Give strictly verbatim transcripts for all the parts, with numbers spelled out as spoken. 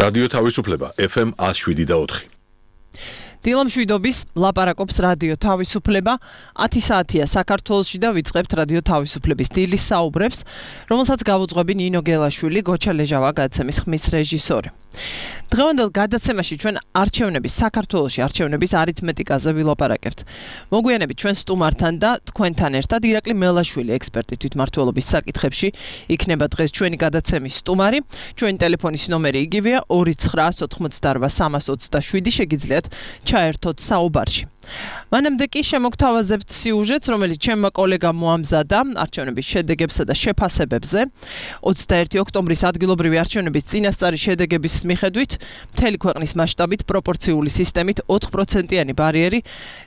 რადიო თავისუფლება F M one oh seven და four. დილა მშვიდობის ლაპარაკობს რადიო თავისუფლება ათი საათია საქართველოში და ვიწყებთ რადიო თავისუფლების დილის საუბრებს, რომელსაც გავუძღვები ნინო გელაშვილი, გოჩა ლეჟავა გადაცემის ხმის რეჟისორი. დღევანდელ გადაცემაში ჩვენ არჩევნების საქართველოში არჩევნების არითმეტიკაზე ვილაპარაკებთ. მოგვიანებით ჩვენ სტუმართან და თქვენთან ერთად ირაკლი მელაშვილი ექსპერტი თვითმმართველობის საკითხებში იქნება დღეს ჩვენი გადაცემის სტუმარი. ჩვენი ტელეფონის ნომერი იგივეა ორი ცხრა ოთხმოცდაარბა სამას ოცდაშვიდი შეგიძლიათ ჩაერთოთ საუბარში. მანამდე კი შემოგთავაზებთ სიუჟეტს, რომელიც ჩემმა კოლეგამ მოამზადა არჩევნების შედეგებსა და შეფასებებზე. ოცდაერთი ოქტომბრის ადგილობრივი არჩევნების წინასწარი შედეგების მიხედვით მთელი ქვეყნის მასშტაბით პროპორციული სისტემით ოთხ პროცენტიანი ბარიერი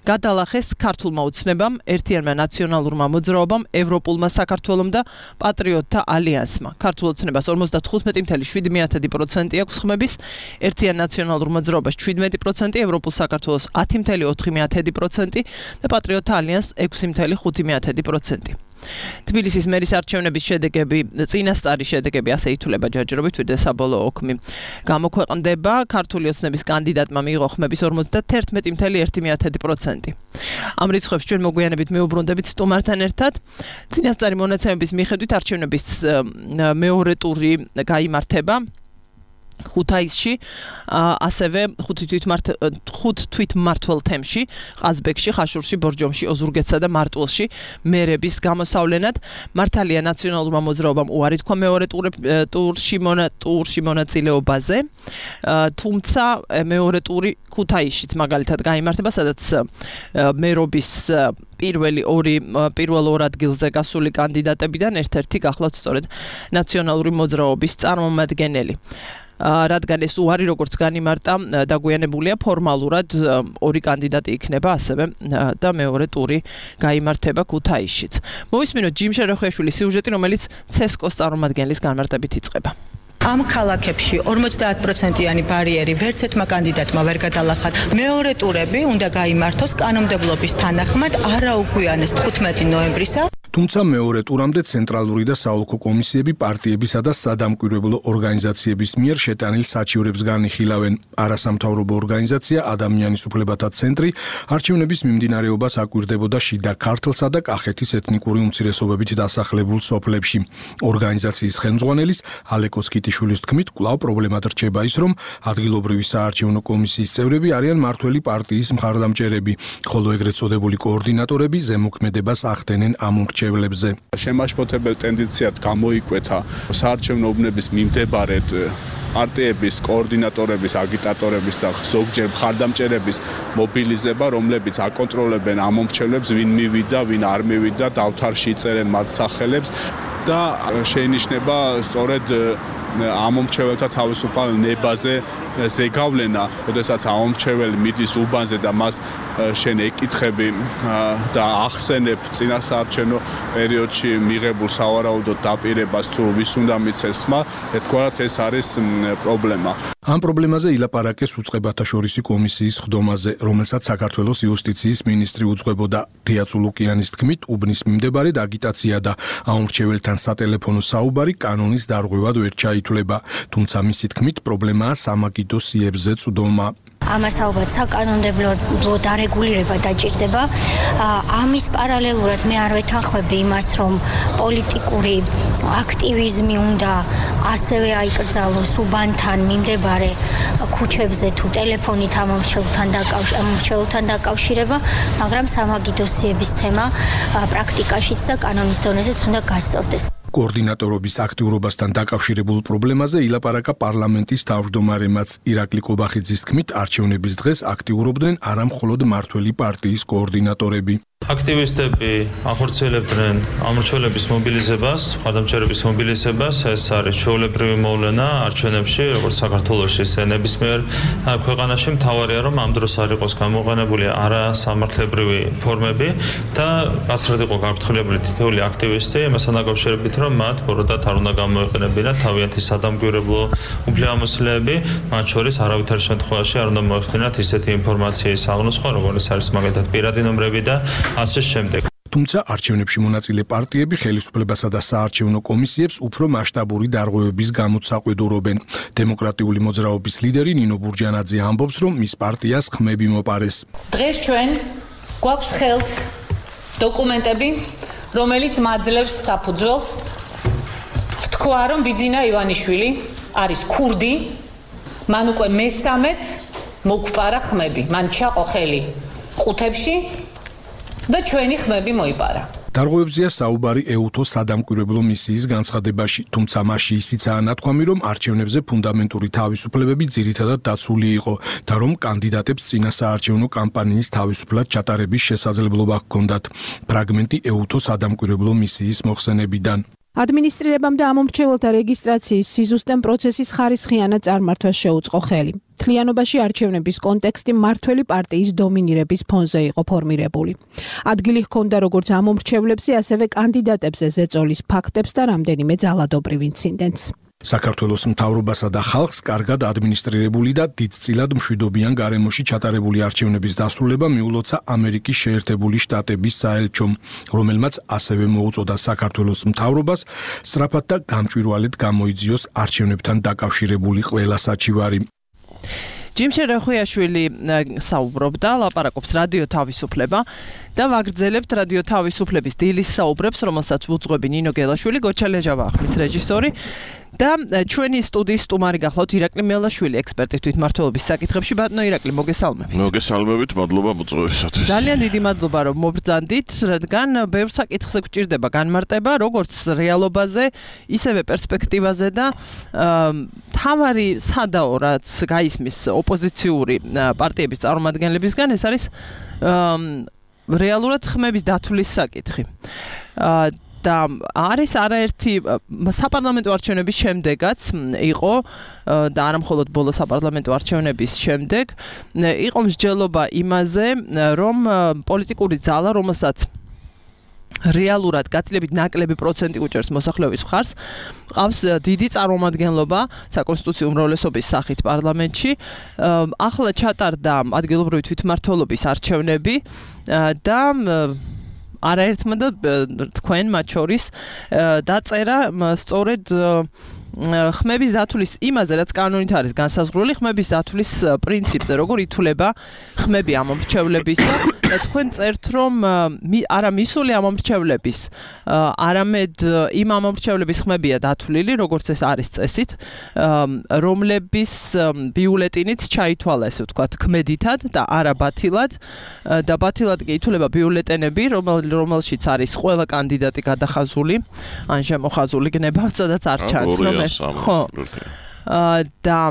გადალახეს ქართულმა ოცნებამ, ერთიანმა ნაციონალურმა მოძრაობამ, ევროპულმა საქართველომ და პატრიოტთა ალიანსმა. ქართულ ოცნებას ორმოცდათხუთმეტი comma შვიდი პროცენტი აქვს ხმების, ერთიან ნაციონალურ მოძრაობას ჩვიდმეტი პროცენტი, ევროპულ საქართველოს ათი comma ოთხი პროცენტი და პატრიოტთა ალიანსს ექვსი comma ხუთი პროცენტი. თბილისის მერის არჩევნების შედეგები, წინასწარი შედეგები ასე ითვლება ჯერჯერობით, ვიდრე საბოლოო ოქმი გამოქვეყნდება. ქართული ოცნების კანდიდატმა მიიღო ხმების ორმოცდაერთმეტი comma ერთი პროცენტი. ამ რიცხვებს ჩვენ მოგვიანებით მეუბრუნდებით სტუმართან ერთად. წინასწარი მონაცემების მიხედვით არჩევნების მეორე ტური გაიმართება ხუთაისში, ასევე ხუთ თვითმმართველ თემში, ყაზბეგში, ხაშურში, ბორჯომში, ოზურგეთსა და მარტვილში მერების გამოსავლენად. მართალია ნაციონალურმა მოძრაობამ უარი თქვა მეორე ტურში ტურში მონაწილეობაზე, თუმცა მეორე ტური ქუთაისშიც მაგალითად გაიმართება, სადაც მერობის პირველი ორი პირველ ორ ადგილზე გასული კანდიდატებიდან ერთ-ერთი გახლავთ სწორედ ნაციონალური მოძრაობის წარმომადგენელი. რადგან ეს უარი როგორც განიმარტა, დაგვიანებულია ფორმალურად ორი კანდიდატი იქნება ასევე და მეორე ტური გაიმართება ქუთაისშიც. მოვისმინოთ ჯიმ შეროხეშვილის სიუჟეტი, რომელიც ცესკოს წარმომადგენლის განმარტებით იწყება. ამ ქალაქებში ორმოცდაათ პროცენტიანი ბარიერი ვერც ერთმა კანდიდატმა ვერ გადალახა. მეორე ტურები უნდა გაიმართოს კანონმდებლობის თანახმად არაუგვიანეს თხუთმეტი ნოემბრისა. თუმცა მეორე ტურამდე ცენტრალური და საოლქო კომისიები პარტიებისა და სადამკვირვებლო ორგანიზაციების მიერ შეტანილ საჩივრებს განიხილავენ. არასამთავრობო ორგანიზაცია ადამიანის უფლებათა ცენტრი არჩევნების მიმდინარეობას აკვირდებოდა შიდა ქართლსა და კახეთის ეთნიკური უმცირესობებით დასახლებულ სოფლებში. ორგანიზაციის ხელმძღვანელის ალეკო სკიტიშვილის თქმით, კვლავ პრობლემად რჩება ის, რომ ადგილობრივი საარჩევნო კომისიის წევრები არიან მართველი პარტიის მხარდამჭერები, ხოლო ეგრეთ წოდებული კოორდინატორები ზემოქმედებას ახდენენ ამ ურჩევლებზე. შემაშფოთებელ ტენდენციად გამოიკვეთა საარჩევნო უბნების მიმდებარედ პარტიების, კოორდინატორების, აგიტატორების და ზოგჯერ მხარდამჭერების მობილიზება, რომლებიც აკონტროლებენ ამ მომრჩევლებს, ვინ მივიდა, ვინ არ მივიდა, დავთარში იწერენ მათ სახელებს და შეინიშნება სწორედ ამ მომრჩეველთა თავისუფალ ნებაზე ზეგავლენა, როდესაც ამ მომრჩეველი მიდის უბანზე და მას შენ ეკითხები და ახსენებ წინა საარჩევნო პერიოდში მიღებულ სავარაუდოდ დაპირებას თუ ვის უნდა მიცეს ხმა, ეთქვათ ეს არის პრობლემა. ამ პრობლემაზე ილაპარაკეს უწყებათა შორისი კომისიის ხდომაზე, რომელსაც საქართველოს იუსტიციის მინისტრი უძღვებოდა. თეა წულუკიანის თქმით, უბნის მიმდებარედ აგიტაცია და ამომრჩეველთან სატელეფონო საუბარი კანონის დარღვევად ვერ ჩაითვლება, თუმცა მისი თქმით პრობლემაა სამაგიდო სიებზე წვდომა. ამას ალბათ საკანონმდებლო დარეგულირება დაჭირდება. ამის პარალელურად მე არ ვეთანხმები იმას, რომ პოლიტიკური აქტივიზმი უნდა ასევე აიკრძალოს უბანთან მიმდებარე ქუჩებზე თუ ტელეფონით ამომრჩეველთან დაკავშირება, მაგრამ სამაგიდო სიების თემა პრაქტიკაშიც და კანონის დონეზეც უნდა გასწორდეს. კოორდინატორობის აქტიურობასთან დაკავშირებულ პრობლემაზე ილაპარაკა პარლამენტის თავმჯდომარემაც. ირაკლი კობახიძის თქმით, არჩევნების დღეს აქტიურობდნენ არა მხოლოდ მართველი პარტიის კოორდინატორები. აქტივისტები ახორციელებდნენ ამორჩევლების მობილიზებას, მხარდამჭერების მობილიზებას. ეს არის ჩვეულებრივი მოვლენა არჩევნებში, როგორც საქართველოში, ისე ნებისმიერ ქვეყანაში. მთავარია, რომ ამ დროს არ იყოს გამოყენებული არასამართლებრივი ფორმები და გასცრად იყო გაფრთხილებული თითოეული აქტივისტი, იმასთან დაკავშირებით, რომ მათ ბოროტად არ უნდა გამოეყენებინათ თავიანთი სადამკვირვებლო უფლებამოსილეები, მათ შორის არავითარ შემთხვევაში არ უნდა მოეხდინათ ისეთი ინფორმაციის აღნოსხვა, როგორც არის მაგალითად პირადი ნომრები და ასე შემდეგ. თუმცა არჩევნებში მონაწილე პარტიები ხელისუფლებასა და საარჩევნო კომისიებს უფრო მასშტაბური დარღვევების გამო საყვედურობენ. დემოკრატიული მოძრაობის ლიდერი ნინო ბურჯანაძე ამბობს, რომ მის პარტიას ხმები მოპარეს. დღეს ჩვენ გვაქვს ხელთ დოკუმენტები, რომელიც მაძლევს საფუძველს თქვა, რომ ბიძინა ივანიშვილი არის ქურდი, მან უკვე მესამედ მოგპარა ხმები, მან ჩაყო ხელი ყუთებში და ჩვენი ხმები მოიპარა. დარღვევებზეა საუბარი ეუთო სადამკვირვებლო მისიის განცხადებაში, თუმცა მასში ისიცაა ნათქვამი, რომ არჩევნებზე ფუნდამენტური თავისუფლებები ძირითადად დაცული იყო და რომ კანდიდატებს წინა საარჩევნო კამპანიის თავისუფლად ჩატარების შესაძლებლობა ჰქონდათ. ფრაგმენტი ეუთო სადამკვირვებლო მისიის მოხსენებიდან. ადმინისტრირებამ და ამომრჩეველთა რეგისტრაციის სიზუსტემ პროცესის ხარისხიანად წარმართვას შეუწყო ხელი. თლიანობაში არჩევნების კონტექსტი მმართველი პარტიის დომინირების ფონზე იყო ფორმირებული. ადგილი ჰქონდა როგორც ამომრჩევლებზე, ასევე კანდიდატებზე ზეწოლის ფაქტებს და რამდენიმე ძალადობრივ ინციდენტს. საქართველოს მთავრობასა და ხალხს კარგად ადმინისტრირებული და დიდწილად მშვიდობიან გარემოში ჩატარებული არჩევნების დასრულება მიულოცა ამერიკის შეერთებული შტატების საელჩომ, რომელმაც ასევე მოუწოდა საქართველოს მთავრობას სწრაფად და გამჭვირვალედ გამოიძიოს არჩევნებთან დაკავშირებული ყველა საჩივარი. ჯიმშე რეხუიაშვილი საუბრობდა, ლაპარაკობს რადიო თავისუფლება და ვაგრძელებთ რადიო თავისუფლების დილის საუბრებს, რომელსაც უძღვები ნინო გელაშვილი, გოჩა ლეჟავა ხმის რეჟისორი და ჩვენი სტუდიის სტუმარი გახლავთ ირაკლი მელაშვილი, ექსპერტი თვითმმართველობის საკითხებში. ბატონო ირაკლი, მოგესალმებით. მოგესალმებით, მადლობა მოწვევისათვის. ძალიან დიდი მადლობა, რომ მობრძანდით, რადგან ბევრ საკითხზე გვჭირდება განმარტება, როგორც რეალობაზე, ისევე პერსპექტივაზე და თავარი სადაო, რაც გაისმის ოპოზიციური პარტიების წარმომადგენლებისგან, ეს არის რეალურად ხმების დათვლის საკითხი. და არის არაერთი საპარლამენტო არჩევნების შემდეგაც იყო და არა მხოლოდ ბოლო საპარლამენტო არჩევნების შემდეგ იყო მსჯელობა იმაზე, რომ პოლიტიკური ძალა, რომელსაც რეალურად გაცილებით ნაკლები პროცენტი უჭერს მოსახლეობის მხარს, ყავს დიდი წარმომადგენლობა საკონსტიტუციო უმრავლესობის სახით პარლამენტში. ახლა ჩატარდა ადგილობრივი თვითმმართველობის არჩევნები და არაერთმა და თქვენ მათ შორის დაწერა სწორედ ხმების დათვლის იმაზე, რაც კანონით არის განსაზღვრული, ხმების დათვლის პრინციპზე, როგორ ითვლება ხმები ამომრჩევლებისა და თქვენ წერთ, რომ არა მისული ამომრჩევლების, არამედ იმ ამომრჩევლების ხმებია დათვლილი, როგორც ეს არის წესით, რომლების ბიულეტინიც ჩაითვალა, ესე ვთქვათ, ქმედითად და არა ბათილად და ბათილად კი ითვლება ბიულეტენები, რომელშიც არის ყველა კანდიდატი გადახაზული, ან შემოხაზული გნებავ, სადაც არ ჩანს, რომ ხო და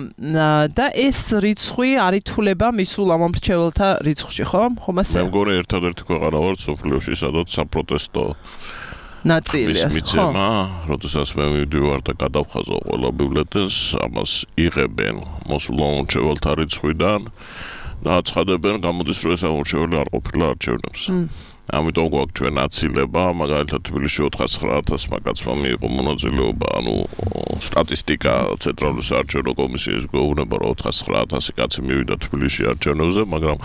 და ეს რიცხვი არ ითვლება მისულ ამომრჩეველთა რიცხვში, ხო? ხომ ასე? მე მგონი ერთადერთი ქვეყანა ვართ სოფლიოში, სადაც საპროტესტო ნაწილია. მიცემა, როდესაც მე მივდივარ და გადავხაზო ყველა ბიულეტენს, ამას იღებენ მოსულ ამომრჩეველთა რიცხვიდან და აცხადებენ, გამოდის, რომ ეს ამომრჩეველი არ ყოფილა არჩევნებზე. ამიტომ გვაქვს ჩვენ აცილება, მაგალითად თბილისში ოთხასცხრა ათასი კაცმა მიიღო მონაწილეობა, ანუ სტატისტიკა ცენტრალური საარჩევნო კომისიის გვეუბნება, რომ ოთხასცხრა ათასი კაცი მივიდა თბილისში არჩევნებზე, მაგრამ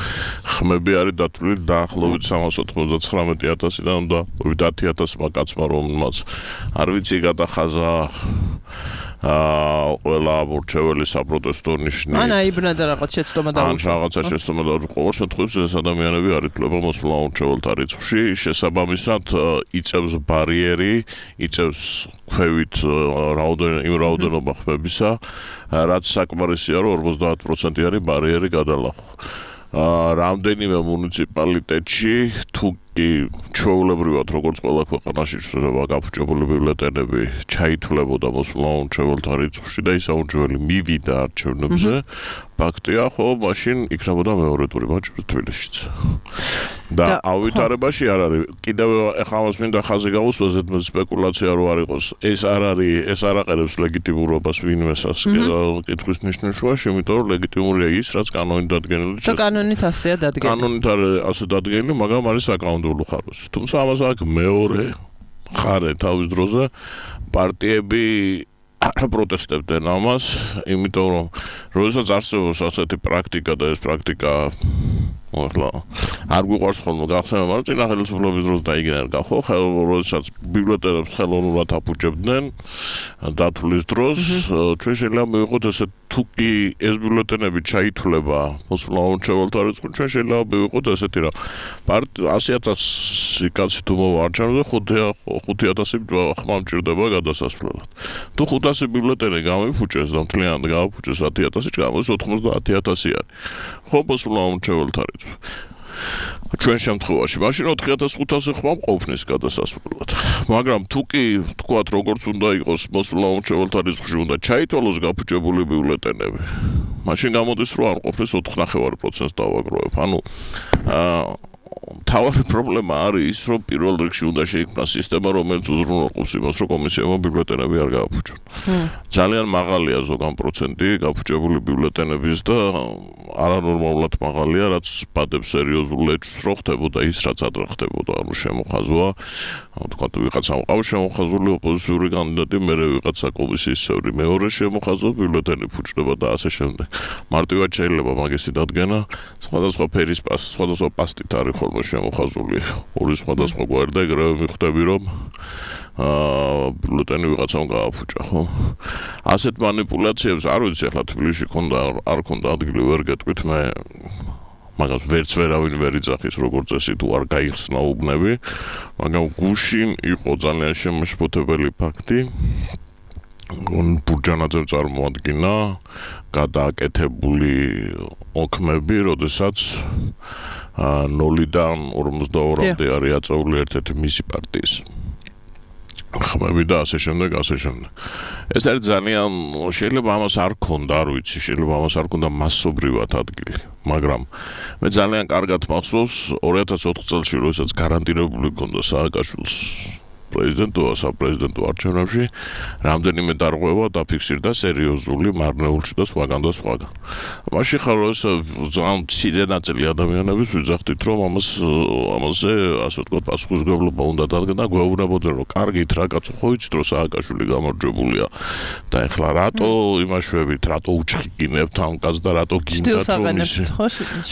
ხმები არის დათვლილი დაახლოებით სამას ოთხმოცდათხრამეტი ათასიდან და ათი ათასი კაცმა, რომელმაც არ ვიცი გადახაზა აა ყველა ამორჩეველი საპროტესტო ნიშნით. ან აიბნა და რაღაც შეცდომა დაუშვა. ან რაღაცა შეცდომა დაუშვა. ყოველ შემთხვევაში ეს ადამიანები არ ითვლება მოსულ ამორჩეველთა რიცხვში, შესაბამისად იწევს ბარიერი, იწევს ქვევით რაოდენობა იმ რაოდენობა ხმებისა, რაც საკმარისია, რომ ორმოცდაათ პროცენტიანი ბარიერი გადალახო. რამდენიმე მუნიციპალიტეტში თუ კი ჩვეულებრივად როგორც ყველა ქვეყანაში შეიძლება გაფუჭებული ბიულეტენები ჩაითვლებოდა მოსულ ამომრჩეველთა რიცხვში და ის ამომრჩეველი მივიდა არჩევნებზე, ფაქტია, ხო, მაშინ იქნებოდა მეორე ტური მათ შორის თბილისშიც. და აუვითარებაში არ არის. კიდევ ახლა ამას მინდა ხაზი გავუსვა, ზედმეტ სპეკულაცია რო არ იყოს. ეს არ არის, ეს არ აყენებს ლეგიტიმურობას ვინმეს კითხვის ნიშნულობაში, იმიტომ რომ ლეგიტიმურია ის, რაც კანონით დადგენილი. და კანონით ასეა დადგენილი. კანონით არის ასე დადგენილი, მაგრამ არის საკანონმდებლო ხარვაში. თუმცა ამას აქვს მეორე ხარე თავის დროზე პარტიები არ პროტესტებდნენ ამას, იმიტომ რომ როდესაც არსებობს ასეთი პრაქტიკა და ეს პრაქტიკა ახლა არ გვიყვარს ხოლმე გახსენება, მაგრამ წინა ხელისუფლების დროს დაიგენა ხო, როდესაც ბიბლიოთეკებს ხელოვნურად აფუჭებდნენ დათვლის დროს, ჩვენ შეიძლება მივიღოთ ესე თუ კი ეს ბიბლიოთეკები ჩაითვლება მოსულა უმრჩეველთა რიცხვი, ჩვენ შეიძლება მივიღოთ ესეთი რა ასი ათასი კაცი თუ მოვარჩენოთ, ხუთი ათასი ხმა მჭირდება გადასასვლელად. თუ ხუთასი ბიბლიოთეკი გამიფუჭეს და მთლიანად გააფუჭეს ათი ათასი, გამოდის ოთხმოცდაათი ათასი არის. ხო მოსულა უმრჩეველთა რიცხვი. ჩვენ შემთხვევაში მაშინ ოთხი ათას ხუთასი ხმა მყოფნის გადასასვლელად. მაგრამ თუ კი თქვათ როგორც უნდა იყოს მოსულა უმრჩეველთა რიცხვში უნდა ჩაითვალოს გაფუჭებული ბიულეტენები. მაშინ გამოდის რომ არ ყოფნის ოთხ ნახევარი პროცენტს დავაგროვებ. ანუ აა თავარი პრობლემა არის ის, რომ პირველ რიგში უნდა შეიქმნას სისტემა, რომელიც უზრუნველყოფს იმას, რომ კომისიებმა ბიბლიოთეკები არ გააფუჭონ. ძალიან მაღალია ზოგან პროცენტი გაფუჭებული ბიბლიოთეკების და არანორმალურად მაღალია, რაც ბადებს სერიოზულ ლეჩვს რო ხდებოდა ის, რაც ადრე ხდებოდა, ანუ შემოხაზვა, თქვათ ვიღაცამ ყავს შემოხაზული ოპოზიციური კანდიდატი, მერე ვიღაცა კომისიის წევრი მეორე შემოხაზვა, ბიბლიოთეკები ფუჭდება და ასე შემდეგ. მარტივად შეიძლება მაგისი დადგენა, სხვადასხვა ფერის პას, სხვადასხვა პასტით არის ხოლმე შემოხაზული ორი სხვადასხვა გვარი და ეგრევე მიხვდები რომ აა ბიულეტენი ვიღაცამ გააფუჭა, ხო? ასეთ მანიპულაციებს არ ვიცი, ახლა თბილისში ქონდა არ ქონდა ადგილი ვერ გეტყვით, მე მაგას ვერც ვერავინ ვერ იძახის როგორც წესი თუ არ გაიხსნა უბნები, მაგრამ გუშინ იყო ძალიან შემაშფოთებელი ფაქტი. ბურჯანაძემ წარმოადგინა გადააკეთებული ოქმები, როდესაც ნოლიდან ორმოცდაორამდე არის აწეული ერთ-ერთი მისი პარტიის ხმები და ასე შემდეგ, ასე შემდეგ. ეს არის ძალიან შეიძლება ამას არ ქონდა, არ ვიცი, შეიძლება ამას არ ქონდა მასობრივად ადგილი, მაგრამ მე ძალიან კარგად მახსოვს ორი ათას ოთხ წელს, როდესაც გარანტირებული ქონდა სააკაშვილს პრეზიდენტობა საპრეზიდენტო არჩევნებში, რამდენიმე დარღვევა დაფიქსირდა სერიოზული მარნეულში და სხვაგან და სხვაგან. მაშინ ხარ ძალიან მცირე ნაწილი ადამიანების ვიძახდით, რომ ამას ამაზე ასე ვთქვათ პასუხისმგებლობა უნდა დადგა და გვეუბნებოდნენ, რომ კარგით რა კაცო, ხო იცით რომ სააკაშვილი გამარჯვებულია და ეხლა რატო იმაშვებით, რატო უჩქიგინებთ ამ კაცს და რატო გინდათ რომ ის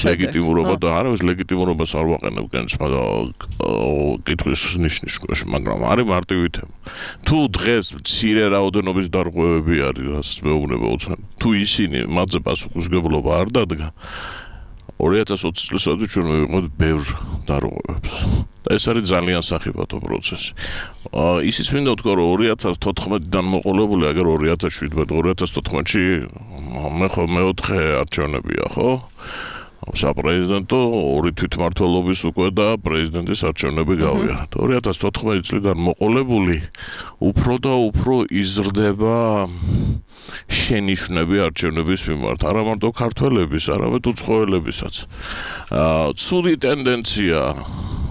ლეგიტიმურობა და არავის ლეგიტიმურობას არ ვაყენებ კენს, მაგრამ კითხვის ნიშნის მაგრამ არის მარტივი თემა. თუ დღეს მცირე რაოდენობის დარღვევები არის, რასაც მეუბნება უცნაური, თუ ისინი მათზე პასუხისმგებლობა არ დადგა, ორი ათას ოცი წელსაც ჩვენ მივიღოთ ბევრ დარღვევებს. და ეს არის ძალიან სახიფათო პროცესი. ისიც მინდა ვთქვა, რომ ორი ათას თოთხმეტიდან მოყოლებული, აგერ ორი ათას შვიდმეტი, ორი ათას თოთხმეტში მე ხო მეოთხე არჩევნებია, ხო? საპრეზიდენტო ორი თვითმმართველობის უკვე და პრეზიდენტის არჩევნები გავიარეთ. ორი ათას თოთხმეტი წლიდან მოყოლებული უფრო და უფრო იზრდება შენიშვნები არჩევნების მიმართ, არა მარტო ქართველების, არამედ უცხოელებისაც. ცუდი ტენდენცია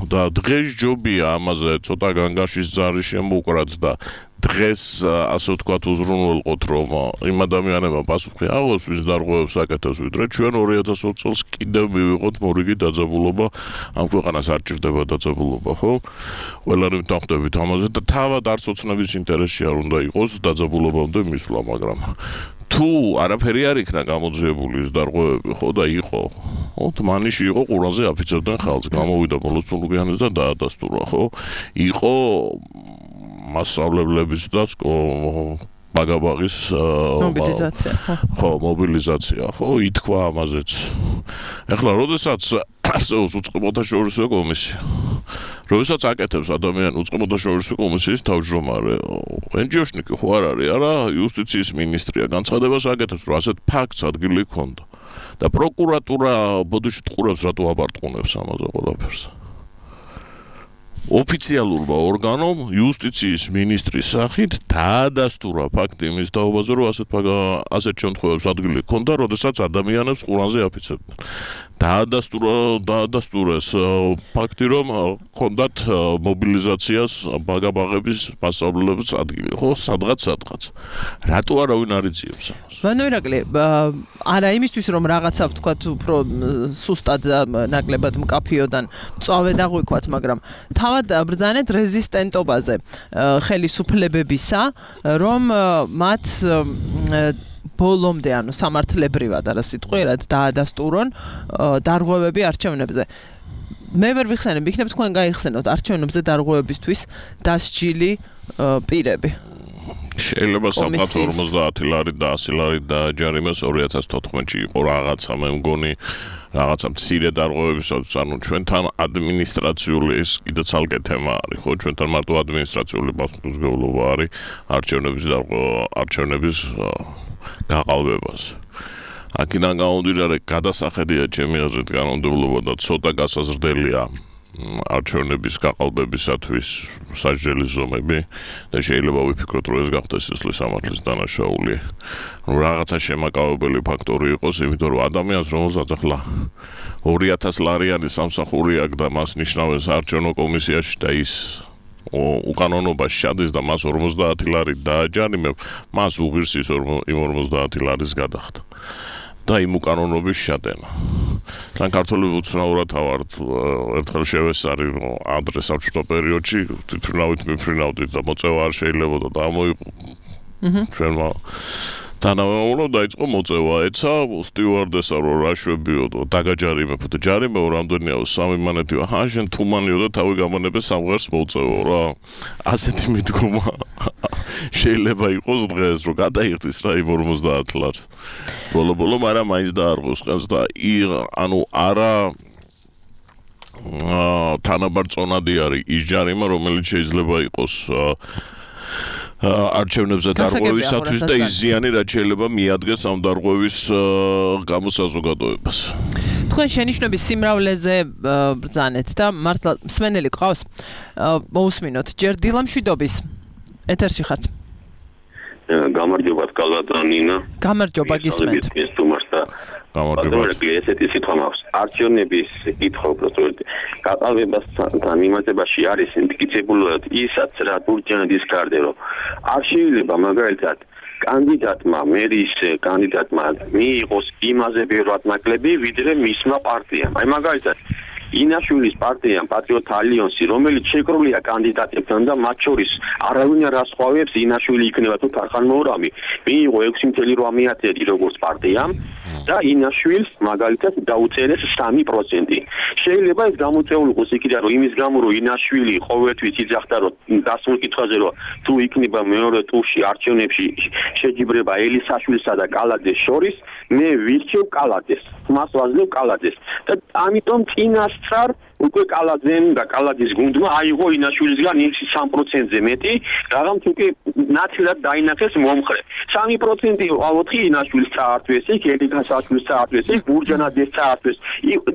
და დღეს ჯობია ამაზე ცოტა განგაშის ზარი შემოუკრათ და დღეს ასე ვთქვათ უზრუნველყოთ, რომ იმ ადამიანებმა პასუხი აღოს ვის დარღვევებს აკეთებს, ვიდრე ჩვენ ორი ათას ოცი წელს კიდევ მივიღოთ მორიგი დაძაბულობა, ამ ქვეყანას არ ჭირდება დაძაბულობა, ხო? ყველანი ვთანხმდებით ამაზე და თავად არც ოცნების ინტერესში არ უნდა იყოს დაძაბულობამდე მისვლა, მაგრამ თუ არაფერი არ იქნა გამოძიებული ის დარღვევები, ხო და იყო, ხო, თმანიში იყო ყურანზე აფიცებდნენ ხალხს, გამოვიდა ბოლოსწულუკიანიც და დაადასტურა, ხო? იყო მასშტაბლების და ბაგაბაღის მობილიზაცია, ხო, მობილიზაცია, ხო, ითქვა ამაზეც. ეხლა, როდესაც არსებობს უწყებოთა შორისო კომისია, როდესაც აკეთებს ადამიანი უწყებოთა შორისო კომისიის თავმჯდომარე, ენჯიოშნიკი ხო არ არის, არა, იუსტიციის მინისტრია, განცხადებას აკეთებს, რომ ასეთ ფაქტს ადგილი ჰქონდა. და პროკურატურა ბოდიში ტყურებს, რატო აბარტყუნებს ამაზე ყველაფერს. ოფიციალურმა ორგანომ იუსტიციის მინისტრის სახით დაადასტურა ფაქტი იმის თაობაზე, რომ ასეთ ასეთ შემთხვევებს ადგილი ჰქონდა, როდესაც ადამიანებს ყურანზე აფიცებდნენ. დაადასტურა დაადასტურეს ფაქტი, რომ ჰქონდათ მობილიზაციას ბაგაბაღების მასშტაბლების ადგილი, ხო, სადღაც სადღაც. რატო არავინ არ იწიებს ამას? ვანო ირაკლი, არა იმისთვის რომ რაღაცა ვთქვათ უფრო სუსტად ნაკლებად მკაფიოდან წავე დაღვიქვათ, მაგრამ თავად ბრძანეთ რეზისტენტობაზე ხელისუფლებებისა, რომ მათ ბოლომდე, ანუ სამართლებრივად არა სიტყვიერად დაადასტურონ დარღვევები არჩევნებზე. მე ვერ ვიხსენებ, იქნებ თქვენ გაიხსენოთ არჩევნებზე დარღვევებისთვის დასჯილი პირები. შეიძლება სამყარო ორმოცდაათი ლარი და ასი ლარი დააჯარიმეს ორი ათას თოთხმეტში იყო რაღაცა მე მგონი რაღაცა მცირე დარღვევებისაც ანუ ჩვენთან ადმინისტრაციული ეს კიდე ცალკე თემა არის ხო ჩვენთან მარტო ადმინისტრაციული პასუხისმგებლობა არის არჩევნების არჩევნების გაყალბებას აქედან გამომდინარე გადასახედია ჩემი აზრით კანონმდებლობა და ცოტა გასაზრდელია არჩევნების გაყალბებისათვის სასჯელის ზომები და შეიძლება ვიფიქროთ რომ ეს გახდეს სისხლის სამართლის დანაშაული. რომ რაღაცა შემაკავებელი ფაქტორი იყოს, იმიტომ რომ ადამიანს რომელსაც ახლა ორი ათას ლარიანი სამსახური აქვს და მას ნიშნავენ საარჩევნო კომისიაში და ის უკანონობაში შედის და მას ორმოცდაათი ლარი დააჯარიმებ, მას უღირს ის იმ ორმოცდაათი ლარის გადახდა. და იმ უკანონობის შადენა. თან ქართული უცნაურად ავართ ერთხელ შევესარი ადრე საბჭოთა პერიოდში თვითმფრინავით მიფრინავდით და მოწევა არ შეიძლებოდა და ამოიყო. ჩვენმა თანამემამულო დაიწყო მოწევა ეცა სტიუარდესა რომ რა შვებიო და დაგაჯარიმებ და ჯარიმეო რამდენია სამი მანეთია ჰა შენ თუმანიო და თავი გამონებე სამღერს მოწევო რა ასეთი მიდგომა შეიძლება იყოს დღეს რომ გადაიღწის რა იმ ორმოცდაათ ლარს ბოლო-ბოლო მაგრამ მაინც დაარღვევს ხელს და ანუ არა თანაბარ წონადი არის ის ჯარიმა რომელიც შეიძლება იყოს არჩევნებზე დარღვევისათვის და ის ზიანი რაც შეიძლება მიადგეს ამ დარღვევის გამოსაზოგადოებას. თქვენ შენიშვნების სიმრავლეზე ბრძანეთ და მართლა მსმენელი ყავს მოусმინოთ ჯერ დილა მშვიდობის ეთერში ხართ. გამარჯობა კალატანინა. გამარჯობა გისმენთ. გამარჯობა. ესეთი სიტყვა მაქვს. არჩევნების კითხვა უბრალოდ გაყალბებასთან მიმართებაში არის მტკიცებულად ისაც რა ბურჯანდის კარდე რომ არ შეიძლება მაგალითად კანდიდატმა მერის კანდიდატმა მიიღოს იმაზე ბევრად ნაკლები ვიდრე მისმა პარტიამ. აი მაგალითად ინაშვილის პარტიამ პატრიოტ ალიანსი რომელიც შეკრულია კანდიდატებთან და მათ შორის არავინ არ ასხვავებს ინაშვილი იქნება თუ თარხან მოურამი მიიღო ექვსი ათეული ათეული როგორც პარტიამ და ინაშვილს მაგალითად დაუწერეს სამი პროცენტი შეიძლება ეს გამოწეულიყოს იქიდან რომ იმის გამო რომ ინაშვილი ყოველთვის იძახდა რომ დასმულ კითხვაზე რომ თუ იქნება მეორე ტურში არჩევნებში შეჯიბრება ელისაშვილსა და კალაძეს შორის მე ვირჩევ კალაძეს მას ვაძლევ კალაძეს და ამიტომ წინასწარ უკვე კალაძემ და კალაძის გუნდმა აიღო ინაშვილისგან სამი პროცენტზე მეტი რადგან თუკი ნაცვლად დაინახეს მომხრე სამი პროცენტი ოთხი ინაშვილს წაართვეს იქ ელიკაშვილს წაართვეს იქ ბურჯანაძეს წაართვეს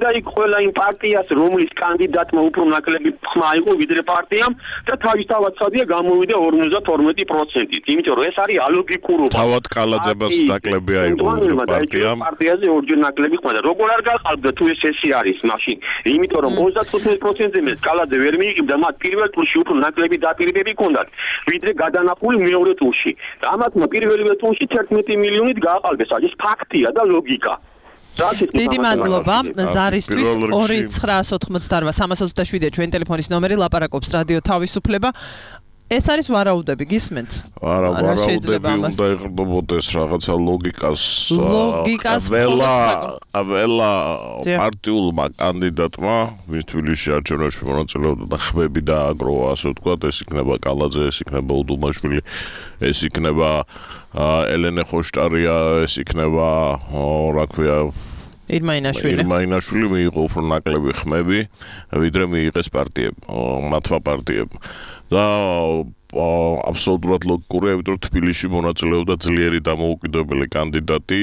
და იქ ყველა იმ პარტიას რომლის კანდიდატმა უფრო ნაკლები ხმა აიღო ვიდრე პარტიამ და თავისთავად სადია გამოვიდა ორმოცდათორმეტი პროცენტით იმიტომ რომ ეს არის ალოგიკურობა თავად კალაძებას ნაკლები აიღო პარტიამ პარტიაზე ორჯერ ნაკლები ხმა და როგორ არ გაყალბდა თუ ეს ესე არის მაშინ იმიტომ რომ ოცდათხუთმეტი პროცენტზე მე კალაძე ვერ მიიღებდა მათ პირველ ტურში უფრო ნაკლები დაპირებები ჰქონდათ ვიდრე გადანახული მეორე ტურში და ამათმა პირველივე ტურში თერთმეტი მილიონით გააყალბეს ეს ფაქტია და ლოგიკა დიდი მადლობა ზარისთვის ორი ცხრაას ოთხმოცდაოთხ სამას ოცდაშვიდია ჩვენი ტელეფონის ნომერი ლაპარაკობს რადიო თავისუფლება ეს არის ვარაუდები გისმენთ? არა, ვარაუდები უნდა იყრდობოდეს რაღაცა ლოგიკას. ლოგიკას ველა, ველა პარტიულმა კანდიდატმა, ვის თბილისში არჩევნებში მონაწილეობდა და ხმები დააგროვა, ასე ვთქვათ, ეს იქნება კალაძე, ეს იქნება უდუმაშვილი, ეს იქნება ელენე ხოშტარია, ეს იქნება, რა ქვია, ირმაინაშვილი. ირმაინაშვილი მიიღო უფრო ნაკლები ხმები, ვიდრე მიიღეს პარტიებ, მათმა პარტიებ. და აბსოლუტურად ლოგიკურია, იმიტომ რომ თბილისში მონაწილეობდა ძლიერი დამოუკიდებელი კანდიდატი,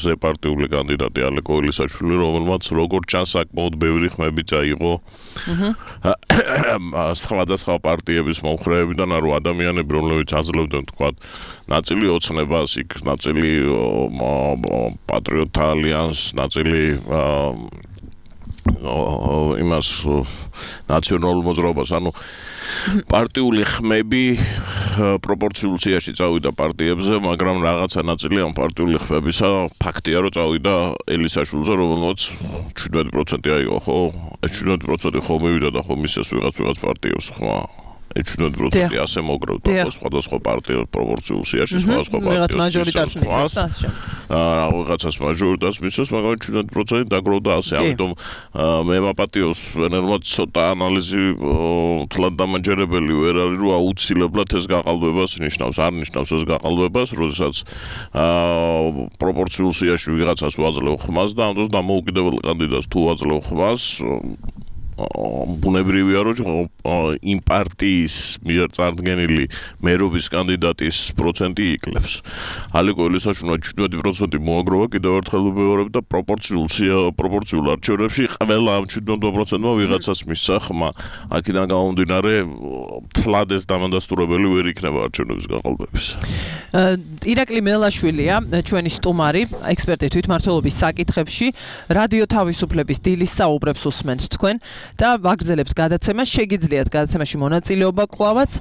ზეპარტიული კანდიდატი ალეკო ელისაშვილი, რომელმაც როგორც ჩანს საკმაოდ ბევრი ხმები წაიღო სხვადასხვა პარტიების მომხრეებიდან, რომ ადამიანები, რომლებიც აძლევდნენ თქვათ ნაწილი ოცნებას, იქ ნაწილი პატრიოტ ალიანსს, ნაწილი იმას ნაციონალურ მოძრაობას, ანუ პარტიული ხმები პროპორციულ სიაში წავიდა პარტიებზე, მაგრამ რაღაცა ნაწილი ამ პარტიული ხმებისა ფაქტია, რომ წავიდა ელისაშვილზე, რომელმაც შვიდმეტი პროცენტი აიღო, ხო? ეს შვიდმეტი პროცენტი ხო მივიდა და ხო მისცეს ვიღაც ვიღაც პარტიებს ხმა. შვიდმეტი პროცენტი ასე მოგროვდა სხვადასხვა პარტიას პროპორციულ სიაში, სხვადასხვა პარტიას მაჟორიტარს მიცავს და ასე. აა რაღაცას მაჟორიტარს მიცავს, მაგრამ შვიდმეტი პროცენტი დაგროვდა ასე. ამიტომ მე მაპატიოს ვენერმაც ცოტა ანალიზი თლად დამაჯერებელი ვერ არის, რომ აუცილებლად ეს გაყალბებას ნიშნავს, არ ნიშნავს ეს გაყალბებას, როდესაც აა პროპორციულ სიაში ვიღაცას ვაძლევ ხმას და ამ დროს დამოუკიდებელ კანდიდატს თუ ვაძლევ ხმას ბუნებრივია რომ იმ პარტიის მიერ წარდგენილი მერობის კანდიდატის პროცენტი იკლებს. ალიკო ელისაშვილმა შვიდმეტი პროცენტი მოაგროვა, კიდევ ერთხელ ვიმეორებ და პროპორციულ პროპორციულ არჩევნებში ყველა ამ შვიდმეტ პროცენტმა ვიღაცას მისცა ხმა. აქედან გამომდინარე თლად ეს დამადასტურებელი ვერ იქნება არჩევნების გაყალბების. ირაკლი მელაშვილია ჩვენი სტუმარი, ექსპერტი თვითმმართველობის საკითხებში, რადიო თავისუფლების დილის საუბრებს უსმენთ თქვენ. და ვაგრძელებთ გადაცემას, შეგიძლიათ გადაცემაში მონაწილეობა კვლავაც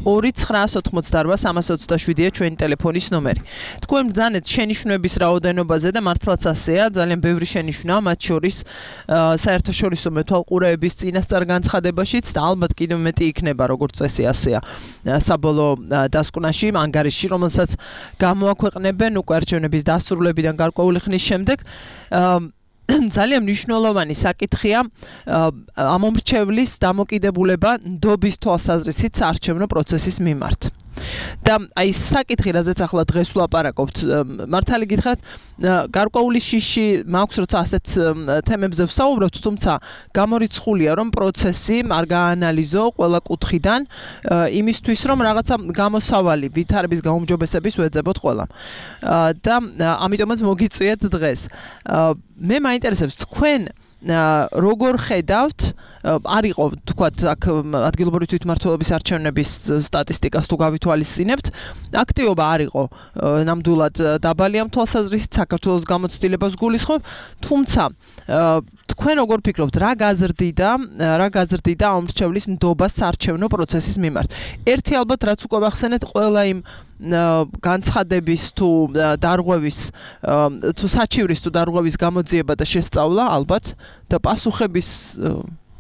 ორი ცხრაას ოთხმოცდაარბა სამას ოცდაშვიდია ჩვენი ტელეფონის ნომერი. თქვენ ბრძანეთ შენიშვნების რაოდენობაზე და მართლაც ასეა, ძალიან ბევრი შენიშვნაა, მათ შორის საერთაშორისო მეთვალყურეების წინასწარ განცხადებაშიც და ალბათ კიდევ მეტი იქნება, როგორც წესი ასეა საბოლოო დასკვნაში, ანგარიშში, რომელსაც გამოაქვეყნებენ უკვე არჩევნების დასრულებიდან გარკვეული ხნის შემდეგ. ძალიან მნიშვნელოვანი საკითხია ამომრჩევლის დამოკიდებულება ნდობის თვალსაზრისით საარჩევნო პროცესის მიმართ. და აი საკითხი, რაზეც ახლა დღეს ვლაპარაკობთ, მართალი გითხრათ, გარკვეული შიში მაქვს, როცა ასეთ თემებზე ვსაუბრობთ, თუმცა გამორიცხულია, რომ პროცესი არ გაანალიზო ყველა კუთხიდან, იმისთვის, რომ რაღაცა გამოსავალი ვითარების გაუმჯობესების ვეძებოთ ყველამ. და ამიტომაც მოგიწვიეთ დღეს. მე მაინტერესებს თქვენ როგორ ხედავთ, არ იყო თქვათ აქ ადგილობრივი თვითმმართველობის არჩევნების სტატისტიკას თუ გავითვალისწინებთ, აქტივობა არ იყო ნამდვილად დაბალი ამ თვალსაზრისით, საქართველოს გამოცდილებას გულისხმობ, თუმცა თქვენ როგორ ფიქრობთ, რა გაზრდიდა, რა გაზრდიდა ამრჩევლის ნდობას საარჩევნო პროცესის მიმართ? ერთი ალბათ რაც უკვე ვახსენეთ, ყველა იმ განცხადების თუ დარღვევის თუ საჩივრის თუ დარღვევის გამოძიება და შესწავლა ალბათ და პასუხების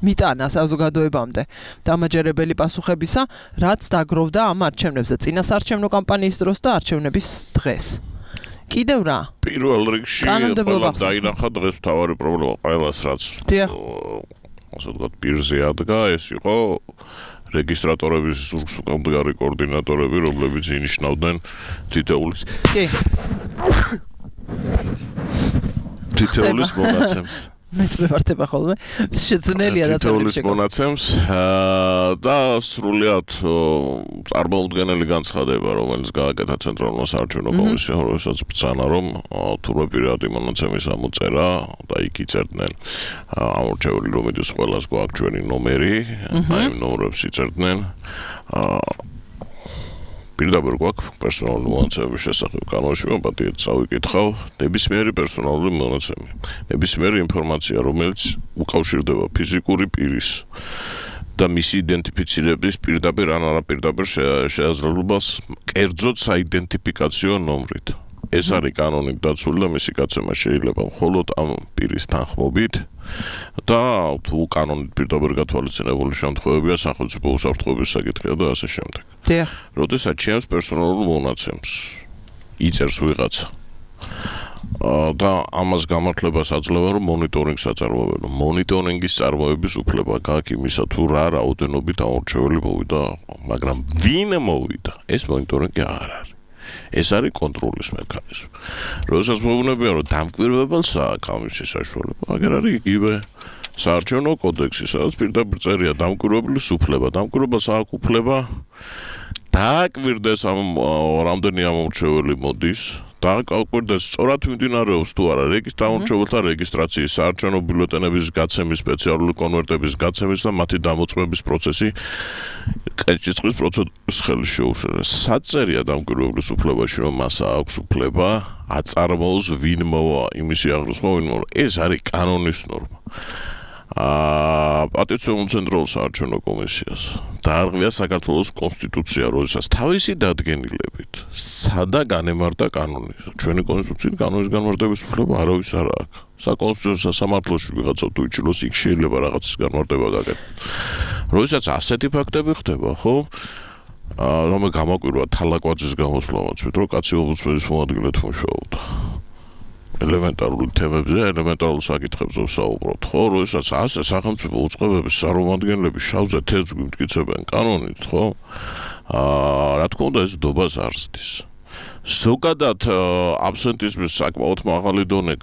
მიტანა საზოგადოებამდე დამაჯერებელი პასუხებისა, რაც დაგროვდა ამ არჩევნებზე, წინასაარჩევნო კამპანიის დროს და არჩევნების დღეს. კიდევ რა? პირველ რიგში ყველა დაინახა დღეს მთავარი პრობლემა ყველას, რაც ასე ვთქვათ პირზე ადგა, ეს იყო რეგისტრატორების უკანდგარი კოორდინატორები, რომლებიც ინიშნავდნენ თითოეულის კი თითოეულის მონაცემს. მეც მევართება ხოლმე, შეძნელია და თითოეულის მონაცემს და სრულიად წარმოუდგენელი განცხადება, რომელიც გააკეთა ცენტრალურმა საარჩევნო კომისიამ, რომელსაც ბრძანა, რომ თურმე პირადი მონაცემის ამოწერა და იქ იწერდნენ ამორჩეული, რომელიც ყველას გვაქვს ჩვენი ნომერი, აი იმ ნომრებს იწერდნენ. პირდაპირ გვაქვს პერსონალური მონაცემების შესახებ კანონში, მოპატიეთ წავიკითხავ, ნებისმიერი პერსონალური მონაცემი, ნებისმიერი ინფორმაცია, რომელიც უკავშირდება ფიზიკური პირის და მისი იდენტიფიცირების პირდაპირ ან არაპირდაპირ შესაძლებლობას კერძოდ საიდენტიფიკაციო ნომრით. ეს არის კანონით დაცული და მისი გაცემა შეიძლება მხოლოდ ამ პირის თანხმობით და თუ კანონით პირდაპირ გათვალისწინებული შემთხვევებია სახელმწიფო უსაფრთხოების საკითხია და ასე შემდეგ. დიახ. როდესაც ჩემს პერსონალურ მონაცემს იწერს ვიღაცა და ამას გამართლებას აძლევენ, რომ მონიტორინგს აწარმოებენ. მონიტორინგის წარმოების უფლება გააქვს იმისა, თუ რა რაოდენობით ამორჩეველი მოვიდა, მაგრამ ვინ მოვიდა, ეს მონიტორინგი არ არის. ეს არის კონტროლის მექანიზმი. როდესაც მოუნებია, რომ დამკვირვებელს აქვს ამის საშუალება, აგერ არის იგივე საარჩევნო კოდექსი, სადაც პირდაპირ წერია დამკვირვებლის უფლება. დამკვირვებელს აქვს უფლება დააკვირდეს ამ რამდენი ამორჩეველი მოდის, დააკვირდეს სწორად მიმდინარეობს თუ არა რეგისტრატორთა რეგისტრაციის, საარჩევნო ბიულეტენების გაცემის, სპეციალური კონვერტების გაცემის და მათი დამოწმების პროცესი კეჭიწყლის პროცედურის ხელის შეუშალება. საწერია დამკვირვებლის უფლებაში, რომ მას აქვს უფლება აწარმოოს ვინ მოვა იმისი აღრიცხვა, ვინ მოვა. ეს არის კანონის ნორმა. აა პატიციონულ ცენტრალურ საარჩევნო კომისიას დაარღვია საქართველოს კონსტიტუცია, როდესაც თავისი დადგენილებით სადა განემართა კანონი. ჩვენი კონსტიტუციით კანონის განმარტების უფლება არავის არ აქვს. საკონსტიტუციო სასამართლოში ვიღაცა თუ იჩილოს, იქ შეიძლება რაღაცის განმარტება გაკეთოს. როდესაც ასეთი ფაქტები ხდება, ხო? აა რომ გამაკვირვა თალაკვაძის გამოსვლამაც, მეტყვი კაცი ომბუდსმენის მოადგილედ მუშაობდა. ელემენტარული თემებზე, ელემენტარულ საკითხებზე ვსაუბრობთ, ხო? როდესაც ასე სახელმწიფო უწყებების წარმომადგენლები შავზე თეთრს გვიმტკიცებენ კანონით, ხო? აა რა თქმა უნდა ეს დობას არ ზრდის. ზოგადად აბსენტიზმის საკმაოდ მაღალი დონე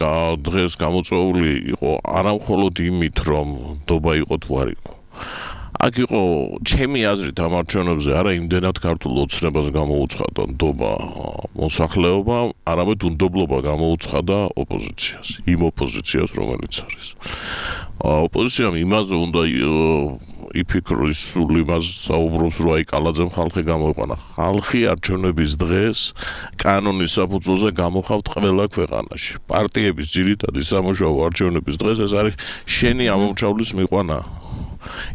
დღეს გამოწვეული იყო არა მხოლოდ იმით, რომ დობა იყო თუ არ იყო. აქ იყო ჩემი აზრით ამ არჩევნებზე არა იმდენად ქართულ ოცნებას გამოუცხადა ნდობა მოსახლეობა, არამედ უნდობლობა გამოუცხადა ოპოზიციას, იმ ოპოზიციას, რომელიც არის. ოპოზიციამ იმაზე უნდა იფიქროს, სულ იმას საუბრობს, რომ აი კალაძემ ხალხი გამოიყვანა. ხალხი არჩევნების დღეს კანონის საფუძველზე გამოხავთ ყველა ქვეყანაში. პარტიების ძირითადი სამუშაო არჩევნების დღეს ეს არის შენი ამომრჩევლის მიყვანა.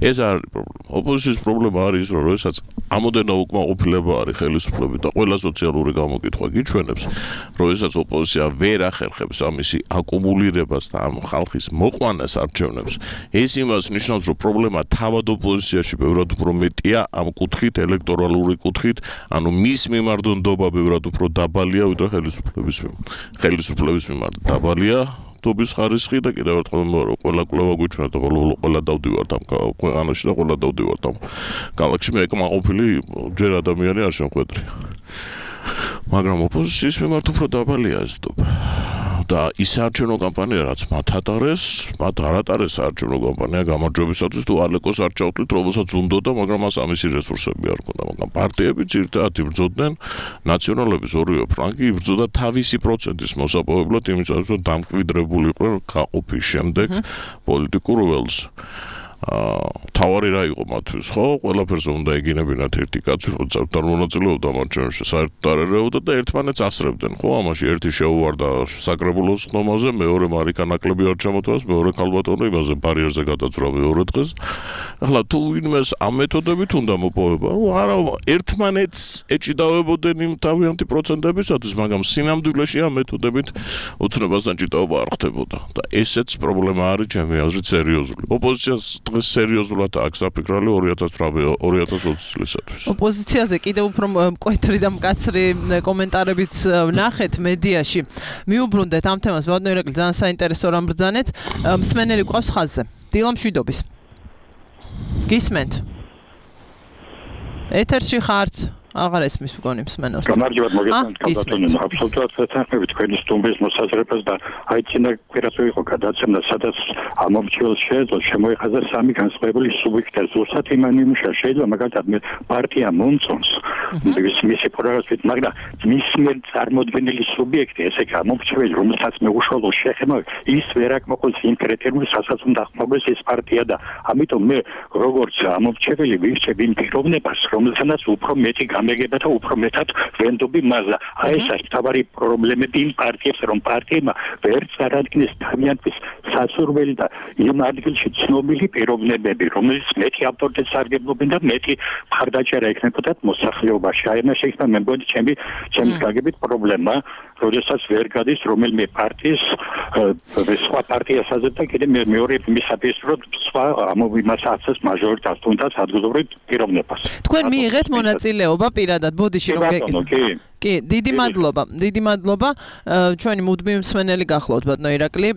ეს არის პრობლემა. ოპოზიციის პრობლემა არის, რომ როდესაც ამოდენა უკმაყოფილება არის ხელისუფლებით და ყველა სოციალური გამოკითხვა გიჩვენებს, როდესაც ოპოზიცია ვერ ახერხებს ამისი აკუმულირებას და ამ ხალხის მოყვანას არჩევნებს, ეს იმას ნიშნავს, რომ პრობლემა თავად ოპოზიციაში ბევრად უფრო მეტია ამ კუთხით, ელექტორალური კუთხით, ანუ მის მიმართ ნდობა ბევრად უფრო დაბალია, ვიდრე ხელისუფლების მიმართ. ხელისუფლების მიმართ დაბალია დობის ხარისხი და კიდევ ერთხელ მოვარო, ყველა კვლევა გვიჩვენა და ბოლო-ბოლო ყველა დავდივართ ამ ქვეყანაში და ყველა დავდივართ ამ ქალაქში, მე ეკმაყოფილი ჯერ ადამიანი არ შემხვედრია. მაგრამ ოპოზიციის მიმართ უფრო დაბალია ეს დობა. და ის საარჩევნო კამპანია, რაც მათ ატარეს, მათ არ ატარეს საარჩევნო კამპანია გამარჯვებისათვის თუ ალეკოს არ ჩავთვლით, რომელსაც უნდოდა, მაგრამ მას ამისი რესურსები არ ჰქონდა. მაგრამ პარტიები ძირითადად იბრძოდნენ, ნაციონალების ორივე ფრანგი იბრძოდა თავისი პროცენტის მოსაპოვებლად, იმისათვის, რომ დამკვიდრებული იყვნენ გაყოფის შემდეგ პოლიტიკურ ველს. აა თავარი რა იყო მათთვის, ხო? ყველაფერზე უნდა ეგინებინათ ერთი კაცი, როცა არ მონაწილეობდა მარჩევნში, საერთოდ არ ერეოდა და ერთმანეთს ასრებდნენ, ხო? ამაში ერთი შეუვარდა საკრებულოს ხომაზე, მეორე მარიკა ნაკლები არ ჩამოთვალეს, მეორე ქალბატონი იმაზე ბარიერზე გადაწვა მეორე დღეს. ახლა თუ ვინმეს ამ მეთოდებით უნდა მოპოვება, არა, ერთმანეთს ეჭიდავებოდნენ იმ თავიანთი პროცენტებისათვის, მაგრამ სინამდვილეში ამ მეთოდებით უცნობასთან ჭიდაობა არ ხდებოდა და ესეც პრობლემა არის ჩემი აზრით სერიოზული. ოპოზიციას დღეს სერიოზულად აქვს საფიქრალი ორი ათას ოცი წლისათვის. ოპოზიციაზე კიდევ უფრო მკვეთრი და მკაცრი კომენტარებიც ვნახეთ მედიაში. მიუბრუნდეთ ამ თემას, ბატონო ირაკლი, ძალიან საინტერესო რამ ბრძანეთ. მსმენელი ყავს ხაზზე. დილა მშვიდობის. გისმენთ. ეთერში ხართ. აღარ ესმის მგონი მსმენელს. გამარჯვებათ მოგესალმებით კალბატონი, აბსოლუტურად ვეთანხმებით თქვენი სტუმრის მოსაზრებას და აი წინა კვირას იყო გადაცემა, სადაც ამომრჩეველს შეეძლო შემოეხაზა სამი განსხვავებული სუბიექტი. ზუსტად იმან იმუშა შეიძლება მაგალითად მე პარტია მომწონს ის მისი პროგრამით, მაგრამ მის მიერ წარმოქმნილი სუბიექტი, ესე იგი ამომრჩეველი, რომელსაც მე უშუალო შეხება, ის ვერ აკმაყოფილებს იმ კრიტერიუმს, რასაც უნდა ახმოვდეს ეს პარტია და ამიტომ მე როგორც ამომრჩეველი ვირჩევ იმ პიროვნებას, რომელსაც უფრო მეტი მეგება და უფრო მეტად ვენდობი მაზა. აი ეს არის თავარი პრობლემები იმ პარტიებს, რომ პარტიებმა ვერ წარადგინეს თავიანთის სასურველი და იმ ადგილში ცნობილი პიროვნებები, რომელიც მეტი ავტორიტეტს სარგებლობენ და მეტი მხარდაჭერა ექნებოდათ მოსახლეობაში. აი ეს შეიძლება მე მგონი ჩემი ჩემი გაგებით პრობლემა, როდესაც ვერ გადის რომელიმე პარტიის სხვა პარტიას აზრდა კიდე მეორე მისაბის რო სხვა ამოვიმას აცეს მაჟორიტარს თუნდაც ადგილობრივ პიროვნებას. თქვენ მიიღეთ მონაწილეობა პირადად ბოდიში რომ გეკითხეთ. კი, დიდი მადლობა. დიდი მადლობა. ჩვენი მუდმივი მსმენელი გახლავთ ბატონო ირაკლი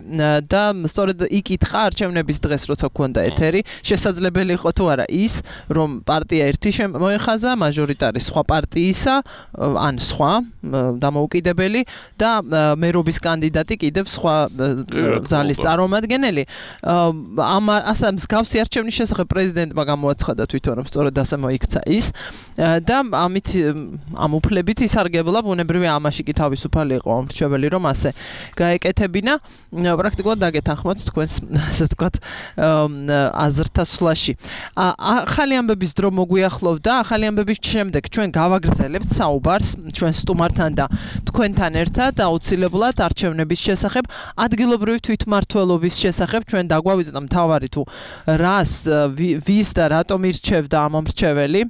და სწორედ იკითხა არჩევნების დღეს როცა გქონდა ეთერი, შესაძლებელი იყო თუ არა ის, რომ პარტია ერთი მოეხაზა მაჟორიტარი სხვა პარტიისა, ან სხვა დამოუკიდებელი და მერობის კანდიდატი კიდევ სხვა ძალის წარმომადგენელი. ამ ასე მსგავსი არჩევნის შესახებ პრეზიდენტმა გამოაცხადა თვითონ რომ სწორედ ასე მოიქცა ის და ამით ამ უფლებით ის არგებლა ბუნებრივი ამაში კი თავისუფალი იყო მრჩეველი რომ ასე გაეკეთებინა პრაქტიკულად დაგეთანხმოთ თქვენს ასე ვთქვათ აზრთა სვლაში. ახალი ამბების დრო მოგვიახლოვდა, ახალი ამბების შემდეგ ჩვენ გავაგრძელებთ საუბარს ჩვენ სტუმართან და თქვენთან ერთად აუცილებლად არჩევნების შესახებ, ადგილობრივი თვითმმართველობის შესახებ ჩვენ დაგვავიწყდა მთავარი თუ რას ვის და რატომ ირჩევდა ამ მრჩეველი.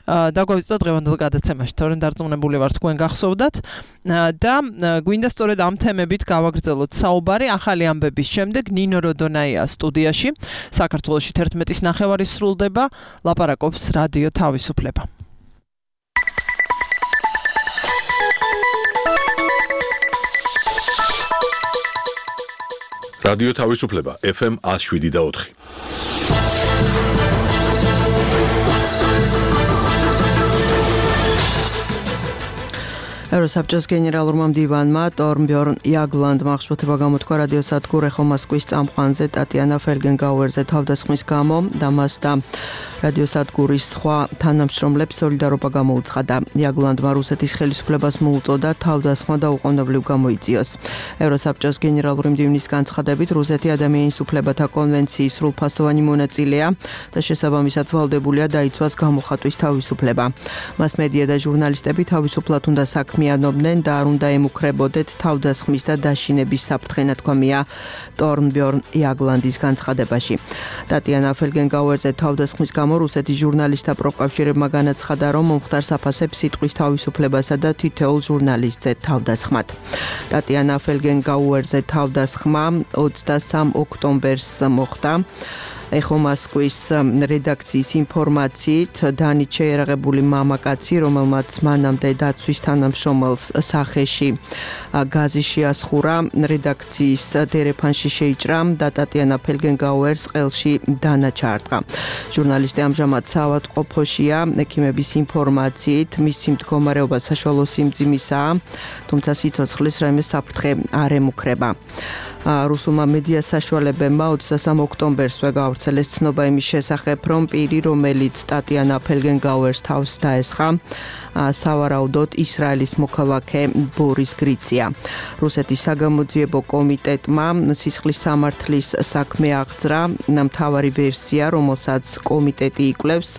დაგვავიწყდა დღევანდელ გადაცემაში, თორემ დარწმუნებული ვარ თქვენ თქვენ გახსოვდათ და გვინდა სწორედ ამ თემებით გავაგრძელოთ საუბარი ახალი ამბების შემდეგ ნინო როდონაია სტუდიაში საქართველოში თერთმეტის ნახევარი სრულდება ლაპარაკობს რადიო თავისუფლება რადიო თავისუფლება ეფ ემ one oh seven და four ევროსაბჭოს გენერალურმა მდივანმა ტორნბიორნ იაგლანდმა აღშფოთება გამოთქვა რადიო სადგურ ეხო მოსკვის წამყვანზე ტატიანა ფელგენგაუერზე თავდასხმის გამო და მას და რადიო სადგურის სხვა თანამშრომლებს სოლიდარობა გამოუცხადა. იაგლანდმა რუსეთის ხელისუფლებას მოუწოდა თავდასხმა და უყოვნებლივ გამოიწიოს. ევროსაბჭოს გენერალური მდივნის განცხადებით რუსეთი ადამიანის უფლებათა კონვენციის სრულფასოვანი მონაწილეა და შესაბამისად ვალდებულია დაიცვას გამოხატვის თავისუფლება. მასმედია და ჟურნალისტები თავისუფლად უნდა საქმიანობდნენ და არ უნდა ემუქრებოდეთ თავდასხმის და დაშინების საფრთხე ნათქვამია ტორნბიორნ იაგლანდის განცხადებაში. ტატიანა ფელგენგაუერზე თავდასხმის გამო რუსეთის ჟურნალისტთა პროკავშირებმა განაცხადა, რომ მომხდარს აფასებს სიტყვის თავისუფლებასა და თითოეულ ჟურნალისტზე თავდასხმად. ტატიანა ფელგენგაუერზე თავდასხმა ოცდასამ ოქტომბერს მოხდა. ეხო მოსკვის რედაქციის ინფორმაციით დანით შეერაღებული მამაკაცი, რომელმაც მანამდე დაცვის თანამშრომელს სახეში გაზი შეასხურა, რედაქციის დერეფანში შეიჭრა და ტატიანა ფელგენგაუერს ყელში დანა ჩაარტყა. ჟურნალისტი ამჟამად საავადმყოფოშია, ექიმების ინფორმაციით მისი მდგომარეობა საშუალო სიმძიმისაა, თუმცა სიცოცხლის რაიმე საფრთხე არ ემუქრება. რუსულმა მედია საშუალებებმა ოცდასამ ოქტომბერსვე გავრცელეს ცნობა იმის შესახებ, რომ პირი, რომელიც ტატიანა ფელგენგაუერს თავს დაესხა, სავარაუდოდ ისრაელის მოქალაქე ბორის გრიცია. რუსეთის საგამოძიებო კომიტეტმა სისხლის სამართლის საქმე აღძრა, მთავარი ვერსია, რომელსაც კომიტეტი იკვლევს,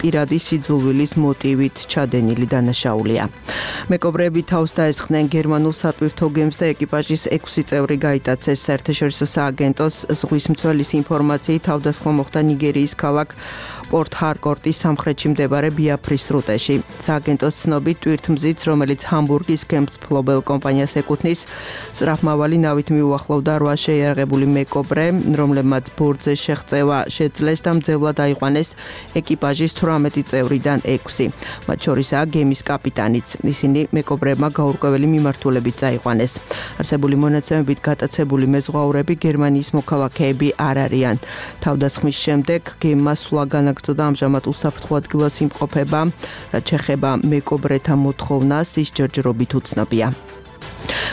პირადი სიძულვილის მოტივით ჩადენილი დანაშაულია. მეკობრეები თავს დაესხნენ გერმანულ სატვირთო გემს და ეკიპაჟის ექვსი წევრი გაიტაცეს. საერთაშორისო სააგენტოს ზღვის მცველის ინფორმაციით თავდასხმა მოხდა ნიგერიის ქალაქ პორტ ჰარკორტის სამხრეთში მდებარე ბიაფრის სრუტეში. სააგენტოს ცნობით ტვირთმზიც, რომელიც ჰამბურგის გემთმფლობელ კომპანიას ეკუთვნის, სწრაფმავალი ნავით მიუახლოვდა რვა შეიარაღებული მეკობრე, რომლებმაც ბორტზე შეღწევა შეძლეს და მძევლად აიყვანეს ეკიპაჟის თვრამეტი წევრიდან ექვსი. მათ შორისაა გემის კაპიტანიც. ისინი მეკობრეებმა გაურკვეველი მიმართულებით წაიყვანეს. არსებული მონაცემებით გატაცებული მეზღვაურები გერმანიის მოქალაქეები არ არიან. თავდასხმის შემდეგ გემმა სულა განაგრძო და ამჟამად უსაფრთხო ადგილას იმყოფება, რაც შეეხება მეკობრეთა მოთხოვნას, ის ჯერჯერობით უცნობია.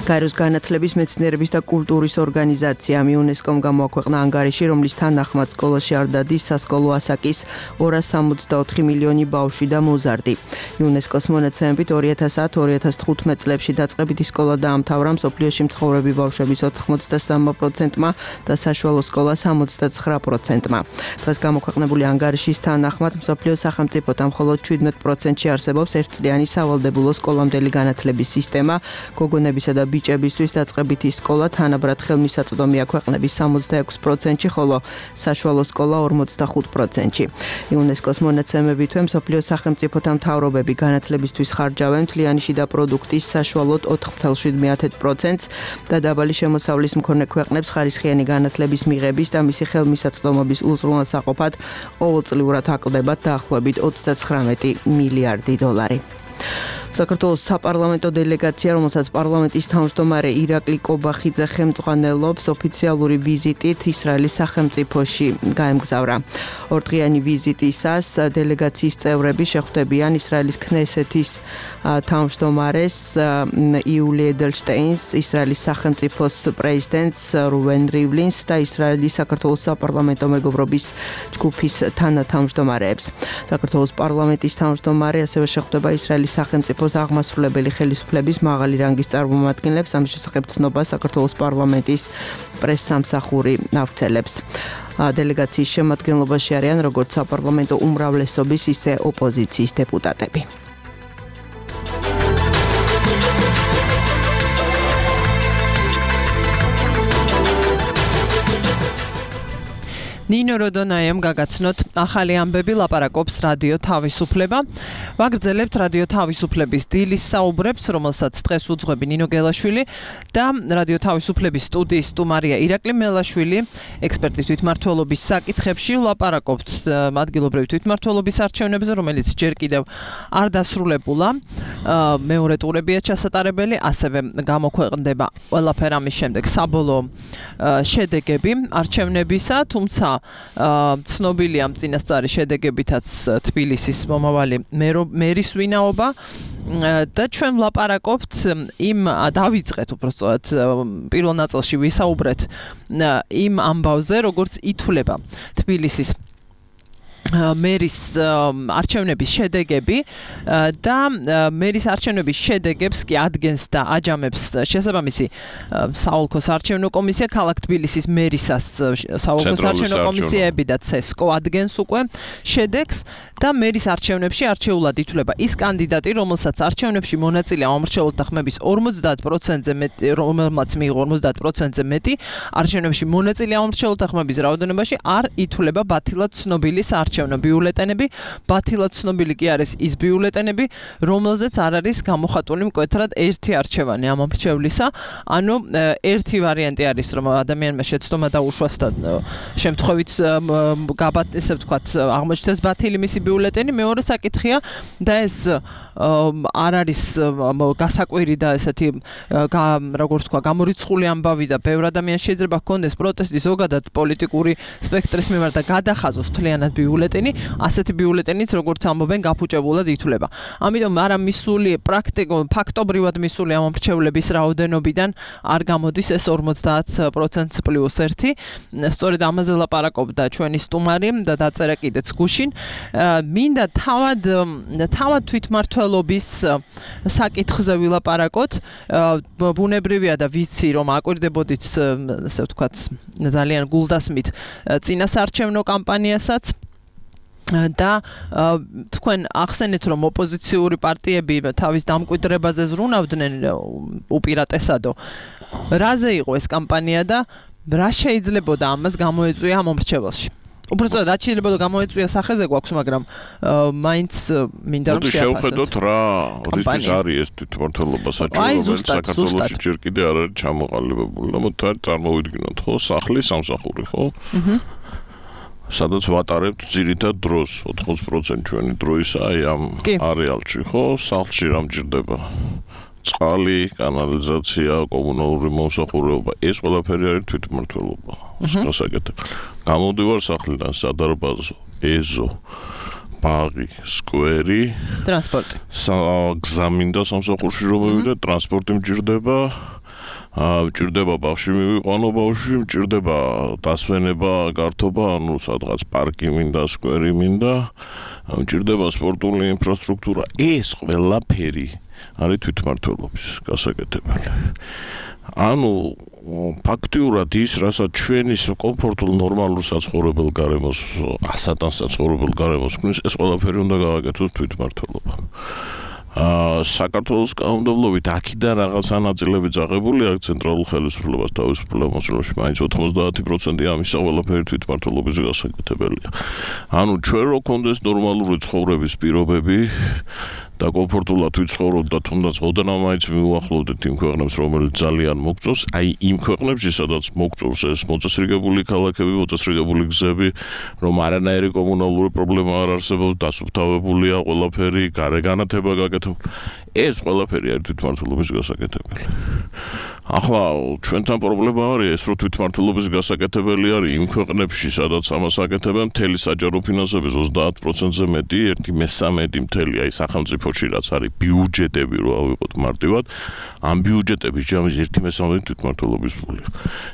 გაეროს განათლების, მეცნიერების და კულტურის ორგანიზაციამ იუნესკომ გამოაქვეყნა ანგარიში, რომლის თანახმად სკოლაში არ დადის სასკოლო ასაკის ორას სამოცდაოთხი მილიონი ბავშვი და მოზარდი. იუნესკოს მონაცემებით ორი ათას ათი ორი ათას თხუთმეტ წლებში დაწყებითი სკოლა დაამთავრა მსოფლიოში მცხოვრები ბავშვების ოთხმოცდასამ პროცენტმა და საშუალო სკოლა სამოცდაცხრა პროცენტმა. დღეს გამოქვეყნებული ანგარიშის თანახმად მსოფლიოს სახელმწიფოთა მხოლოდ შვიდმეტ პროცენტში არსებობს ერთწლიანი სავალდებულო სკოლამდელი განათლების სისტემა, გოგონების და ბიჭებისთვის დაწყებითი სკოლა თანაბრად ხელმისაწვდომია ქვეყნების სამოცდაექვსი პროცენტში, ხოლო საშუალო სკოლა ორმოცდახუთ პროცენტში. იუნესკოს მონაცემებით მსოფლიოს სახელმწიფოთა მთავრობები განათლებისთვის ხარჯავენ მთლიანი შიდა პროდუქტის საშუალოდ ოთხ ათას შვიდ პროცენტს და დაბალი შემოსავლის მქონე ქვეყნებს ხარისხიანი განათლების მიღების და მისი ხელმისაწვდომობის უზრუნველსაყოფად ყოველწლიურად აკლდებათ დაახლოებით ოცდაცხრამეტი მილიარდი დოლარი. საქართველოს საპარლამენტო დელეგაცია, რომელსაც პარლამენტის თავმჯდომარე ირაკლი კობახიძე ხელმძღვანელობს, ოფიციალური ვიზიტით ისრაელის სახელმწიფოში გაემგზავრა. ორდღიანი ვიზიტისას დელეგაციის წევრები შეხვდებიან ისრაელის ქნესეთის თავმჯდომარეს იული ედელშტეინს, ისრაელის სახელმწიფოს პრეზიდენტს რუვენ რივლინს და ისრაელის საქართველოს საპარლამენტო მეგობრობის ჯგუფის თანათავმჯდომარეებს. საქართველოს პარლამენტის თავმჯდომარე ასევე შეხვდება ისრაელის სახელმწიფოს აღმასრულებელი ხელისუფლების მაღალი რანგის წარმომადგენლებს, ამის შესახებ ცნობა საქართველოს პარლამენტის პრესსამსახური ავრცელებს. დელეგაციის შემადგენლობაში არიან როგორც საპარლამენტო უმრავლესობის, ისე ოპოზიციის დეპუტატები. ნინო როდონაიამ გაგაცნოთ ახალი ამბები ლაპარაკობს რადიო თავისუფლება. ვაგრძელებთ რადიო თავისუფლების დილის საუბრებს, რომელსაც დღეს უძღვები ნინო გელაშვილი და რადიო თავისუფლების სტუდიის სტუმარია ირაკლი მელაშვილი, ექსპერტის თვითმმართველობის საკითხებში ვლაპარაკობთ ადგილობრივი თვითმმართველობის არჩევნებზე, რომელიც ჯერ კიდევ არ დასრულებულა. მეორე ტურებია ჩასატარებელი, ასევე გამოქვეყნდება ყველაფერ ამის შემდეგ საბოლოო შედეგები არჩევნებისა, თუმცა ცნობილია ამ წინასწარი შედეგებითაც თბილისის მომავალი მერის ვინაობა და ჩვენ ვლაპარაკობთ იმ დავიწყეთ უბრალოდ პირველ ნაწილში ვისაუბრეთ იმ ამბავზე, როგორც ითვლება თბილისის მერის არჩევნების შედეგები და მერის არჩევნების შედეგებს კი ადგენს და აჯამებს შესაბამისი საოლქოს არჩევნო კომისია, ქალაქ თბილისის მერისას საოლქოს არჩევნო კომისიები და ცესკო ადგენს უკვე შედეგს და მერის არჩევნებში არჩეულად ითვლება ის კანდიდატი, რომელსაც არჩევნებში მონაწილე ამომრჩეველთა ხმების ორმოცდაათ პროცენტზე მეტი, რომელმაც მიიღო ორმოცდაათ პროცენტზე მეტი არჩევნებში მონაწილე ამომრჩეველთა ხმების რაოდენობაში არ ითვლება ბათილად ცნობილი არჩევნო ბიულეტენები. ბათილად ცნობილი კი არის ის ბიულეტენები, რომელზეც არ არის გამოხატული მკვეთრად ერთი არჩევანი ამომრჩევლისა. ანუ ერთი ვარიანტი არის, რომ ადამიანმა შეცდომა დაუშვას და შემთხვევით გაბათ, ესე ვთქვათ, აღმოჩნდეს ბათილი მისი ბიულეტენი. მეორე საკითხია და ეს არ არის გასაკვირი და ესეთი როგორც თქვა გამორიცხული ამბავი და ბევრ ადამიანს შეიძლება ჰქონდეს პროტესტი ზოგადად პოლიტიკური სპექტრის მიმართ და გადახაზოს თლიანად ბიულეტენი, ასეთი ბიულეტენიც როგორც ამბობენ გაფუჭებულად ითვლება. ამიტომ არა მისული პრაქტიკულად ფაქტობრივად მისული ამომრჩევლების რაოდენობიდან არ გამოდის ეს ორმოცდაათ პროცენტს პლუს ერთი. სწორედ ამაზე ლაპარაკობდა ჩვენი სტუმარი და დაწერა კიდეც გუშინ. მინდა თავად თავად თვითმმართველობის საკითხზე ვილაპარაკოთ. ბუნებრივია და ვიცი რომ აკვირდებოდით, ასე ვთქვათ, ძალიან გულდასმით წინასარჩევნო კამპანიასაც და თქვენ ახსენეთ რომ ოპოზიციური პარტიები თავის დამკვიდრებაზე ზრუნავდნენ უპირატესადო. რაზე იყო ეს კამპანია და რა შეიძლებოდა ამას გამოეწვია ამომრჩეველში? უბრალოდ რაც შეიძლება გამოეწვია სახეზე გვაქვს, მაგრამ მაინც მინდა რომ შეაფასოთ. შევხედოთ რა რისთვის არის ეს თვითმმართველობა საჭირო, რომელიც საქართველოში ჯერ კიდე არ არის ჩამოყალიბებული. მოდი წარმოვიდგინოთ, ხო, სახლი, სამსახური, ხო? აჰა. სადაც ვატარებთ ძირითად დროს, ოთხმოც პროცენტი ჩვენი დროისა აი ამ არეალში, ხო? სახლში რა მჭირდება? წყალი, კანალიზაცია, კომუნალური მომსახურება, ეს ყველაფერი არის თვითმმართველობა. გასაკეთებელი. გამოდივარ სახლიდან, სადარბაზო, ეზო, ბაღი, სკვერი, ტრანსპორტი. გზამინდა სამსახურში რომ მივიდე, ტრანსპორტი მჭირდება. მჭირდება ბაღში მივიყვანო ბავშვი, მჭირდება დასვენება, გართობა, ანუ სადღაც პარკი მინდა, სკვერი მინდა, მჭირდება სპორტული ინფრასტრუქტურა. ეს ყველაფერი არის თვითმმართველობის გასაკეთებელი. ანუ ფაქტიურად ის, რასაც ჩვენი კომფორტულ ნორმალურ საცხოვრებელ გარემოს, ასატან საცხოვრებელ გარემოს ქმნის, ეს ყველაფერი უნდა გავაკეთოთ თვითმმართველობა. აა საქართველოს კანონმდებლობით აქედან რაღაცა ნაწილები წაღებული აქვს ცენტრალურ ხელისუფლებას თავისუფლებას მოსულში, მაინც ოთხმოცდაათი პროცენტი ამისა ყველაფერი თვითმმართველობის გასაკეთებელია. ანუ ჩვენ რო გქონდეს ნორმალური ცხოვრების პირობები და კომფორტულად ვიცხოვროთ და თუნდაც ოდნავ მაინც მივუახლოვდეთ იმ ქვეყნებს, რომელიც ძალიან მოგწონს, აი იმ ქვეყნებში, სადაც მოგწონს ეს მოწესრიგებული ქალაქები, მოწესრიგებული გზები, რომ არანაირი კომუნალური პრობლემა არ არსებობს, დასუფთავებულია ყველაფერი, გარეგანათება გაკეთებული. ეს ყველაფერი არის თვითმმართველობის გასაკეთებელი. ახლა ჩვენთან პრობლემა არის ეს, რომ თვითმმართველობის გასაკეთებელი არის იმ ქვეყნებში, სადაც ამას აკეთებენ, მთელი საჯარო ფინანსების ოცდაათ პროცენტზე მეტი, ერთი მესამედი მთელი აი სახელმწიფოში რაც არის ბიუჯეტები რო ავიღოთ მარტივად, ამ ბიუჯეტების ჯამის ერთი მესამედი თვითმმართველობის ფულია.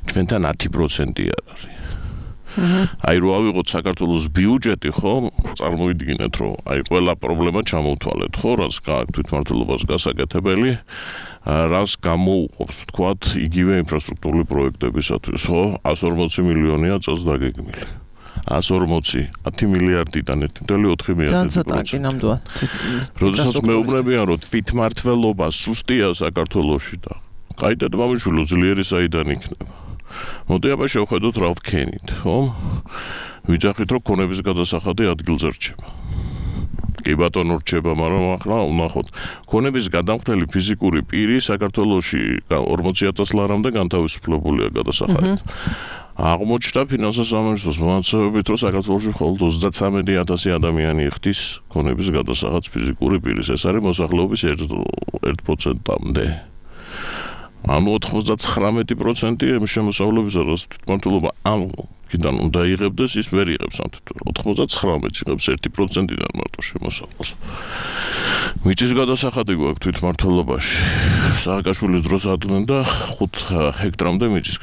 ჩვენთან ათი პროცენტი არ არის. აი რო ავიღოთ საქართველოს ბიუჯეტი, ხო, წარმოიდგინეთ, რომ აი ყველა პრობლემა ჩამოვთვალეთ, ხო, რაც გააქვთ თვითმმართველობას გასაკეთებელი, რას გამოუყოფს, თქვათ, იგივე ინფრასტრუქტურული პროექტებისათვის, ხო, εκατს ორმოცი მილიონია წელს დაგეგმილი. εκατს ორმოცი, ათი მილიარდიდან ერთი ნული ოთხი მილიარდი. განცოტაკი ნამდვილად. როდესაც მეუბნებიან, რომ თვითმმართველობა სუსტია საქართველოში და კაიდად მამიშვილი ძლიერი საიდან იქნება. მოდი აბა შევხედოთ რა ვქენით, ხო? ვიძახით რომ ქონების გადასახადი ადგილზე რჩება. კი ბატონო რჩება, მაგრამ ახლა ვნახოთ. ქონების გადამხდელი ფიზიკური პირი საქართველოში ორმოცი ათას ლარამდე განთავისუფლებულია გადასახადით. აღმოჩნდა ფინანსთა სამინისტროს მონაცემებით, რომ საქართველოში მხოლოდ ოცდათვრამეტი ათასი ადამიანი იხდის ქონების გადასახადს ფიზიკური პირის. ეს არის მოსახლეობის ერთ პროცენტამდე. ანუ ოთხმოცდათხრამეტი პროცენტი შემოსავლობისა და თვითმმართველობა ამ კიდან უნდა იღებდეს, ის ვერ იღებს ამ ოთხმოცდათხრამეტს იღებს ერთი პროცენტიდან მარტო შემოსავალს. მიწის გადასახადი გვაქვს თვითმმართველობაში. სააკაშვილის დროს ატნენ და ხუთ ჰექტრამდე მიწის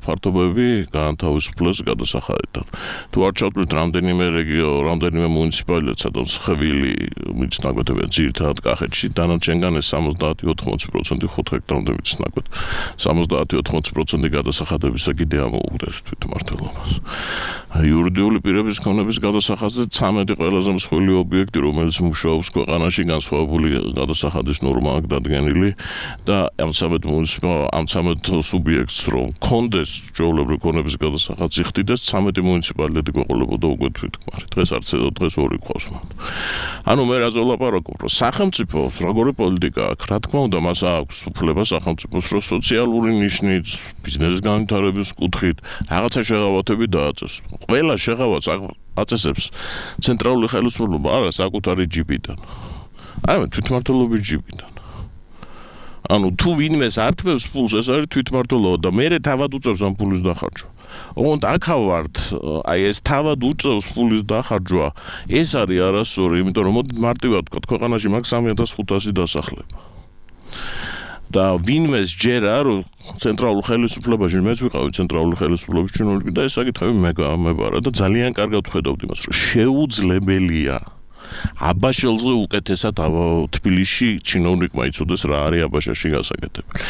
ფართობები განთავისუფლეს გადასახადიდან. თუ არ ჩავთვლით რამდენიმე რეგიო, რამდენიმე მუნიციპალიტეტ, სადაც ხევილი მიწის ნაკვეთებია ძირითადად კახეთში, დანარჩენგან ეს სამოცდაათი ოცდაათი პროცენტი ხუთ ჰექტრამდე მიწის ნაკვეთ. სამოცდაათი ოცდაათი პროცენტი გადასახადებისა კიდე ამოუგდეს თვითმმართველობას. იურიდიული პირების ქონების გადასახადზე ცამეტი ყველაზე მსხვილი ობიექტი, რომელიც მუშაობს ქვეყანაში, განსხვავებული გადასახადის ნორმა აქვს დადგენილი და ამ ცამეტ ამ ცამეტ სუბიექტს რომ ქონდეს ჩვეულებრივი ქონების გადასახადს იხდიდეს, ცამეტი მუნიციპალიტეტი გვეყოლებოდა უკვე თვითქმარი. დღეს არც ედო დღეს ორი ყავს მან. ანუ მე რაზე ვლაპარაკობ, რომ სახელმწიფოს როგორი პოლიტიკა აქვს, რა თქმა უნდა, მას აქვს უფლება სახელმწიფოს რომ სოციალური ნიშნით, ბიზნესის განვითარების კუთხით რაღაცა შეღავათები დააწეს. ყველა შეღავათს აწესებს ცენტრალური ხელისუფლება, არა საკუთარი ჯიბიდან. არა თვითმმართველობის ჯიბიდან. ანუ თუ ვინმეს ართმევს ფულს, ეს არის თვითმმართველობა და მე თავად უწევს ამ ფულის დახარჯვა. ოღონდ აქა ვართ, აი ეს თავად უწევს ფულის დახარჯვა, ეს არის არასწორი, იმიტომ რომ მოდით მარტივად ვთქვათ, ქვეყანაში მაქვს სამი ათას ხუთასი დასახლება. და ვინმეს ჯერა რომ ცენტრალურ ხელისუფლებაში მეც ვიყავი ცენტრალურ ხელისუფლების ჩინოვნიკი და ეს საკითხები მე გამებარა და ძალიან კარგად ვხედავთ იმას რომ შეუძლებელია აბაშელზე უკეთესად თბილისში ჩინოვნიკმა იცოდეს რა არის აბაშაში გასაკეთებელი.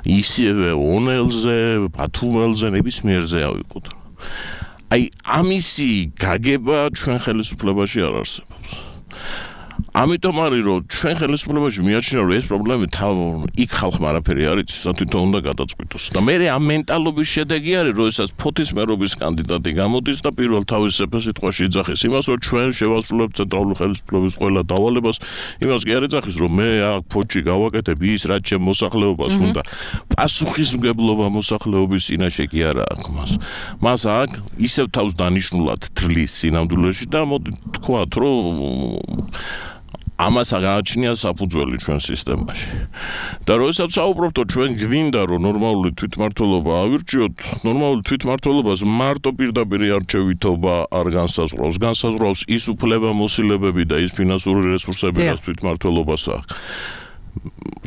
ისევე ონელზე, ბათუმელზე, ნებისმიერზე ავიყოთ. აი ამისი გაგება ჩვენ ხელისუფლებაში არ არსებობს. ამიტომ არის რომ ჩვენ ხელისუფლებაში მიაჩნია რომ ეს პრობლემები თავ იქ ხალხმა არაფერი არ იცის, თვითონ უნდა გადაწყვიტოს. და მე ამ მენტალობის შედეგი არის რომ ესაც ფოთის მერობის კანდიდატი გამოდის და პირველ თავის სიტყვაში იძახის იმას რომ ჩვენ შევასრულებთ ცენტრალური ხელისუფლების ყველა დავალებას, იმას კი არ იძახის რომ მე აქ ფოთში გავაკეთებ ის რაც ჩემ მოსახლეობას უნდა. პასუხისმგებლობა მოსახლეობის წინაშე კი არა აქვს მას. მას აქ ისევ თავს დანიშნულად თვლის სინამდვილეში და მოდი თქვათ რომ ამას აღაჩნია საფუძველი ჩვენ სისტემაში. და როდესაც საუბრობთ, ჩვენ გვინდა რომ ნორმალური თვითმმართველობა ავირჩიოთ, ნორმალური თვითმმართველობას მარტო პირდაპირ არჩევითობა არ განსაზღვრავს. განსაზღვრავს ის უფლებამოსილებები და ის ფინანსური რესურსები, რაც თვითმმართველობას აქვს.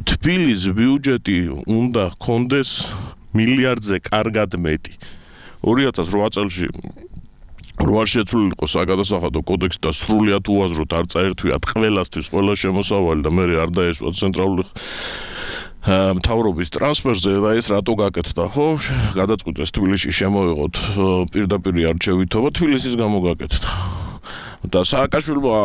თბილისის ბიუჯეტი უნდა ჰქონდეს მილიარდზე კარგად მეტი. ორი ათას რვა წელში რო არ შეცვლილიყო საგადასახადო კოდექსი და სრულიად უაზროდ არ წაერთვიათ ყველასთვის ყველა შემოსავალი და მე არ დაესვა ცენტრალური მთავრობის ტრანსფერზე და ეს რატო გაკეთდა, ხო? გადაწყვიტეს თბილისში შემოიღოთ პირდაპირ არჩევითობა, თბილისის გამო გაკეთდა. და სააკაშვილმა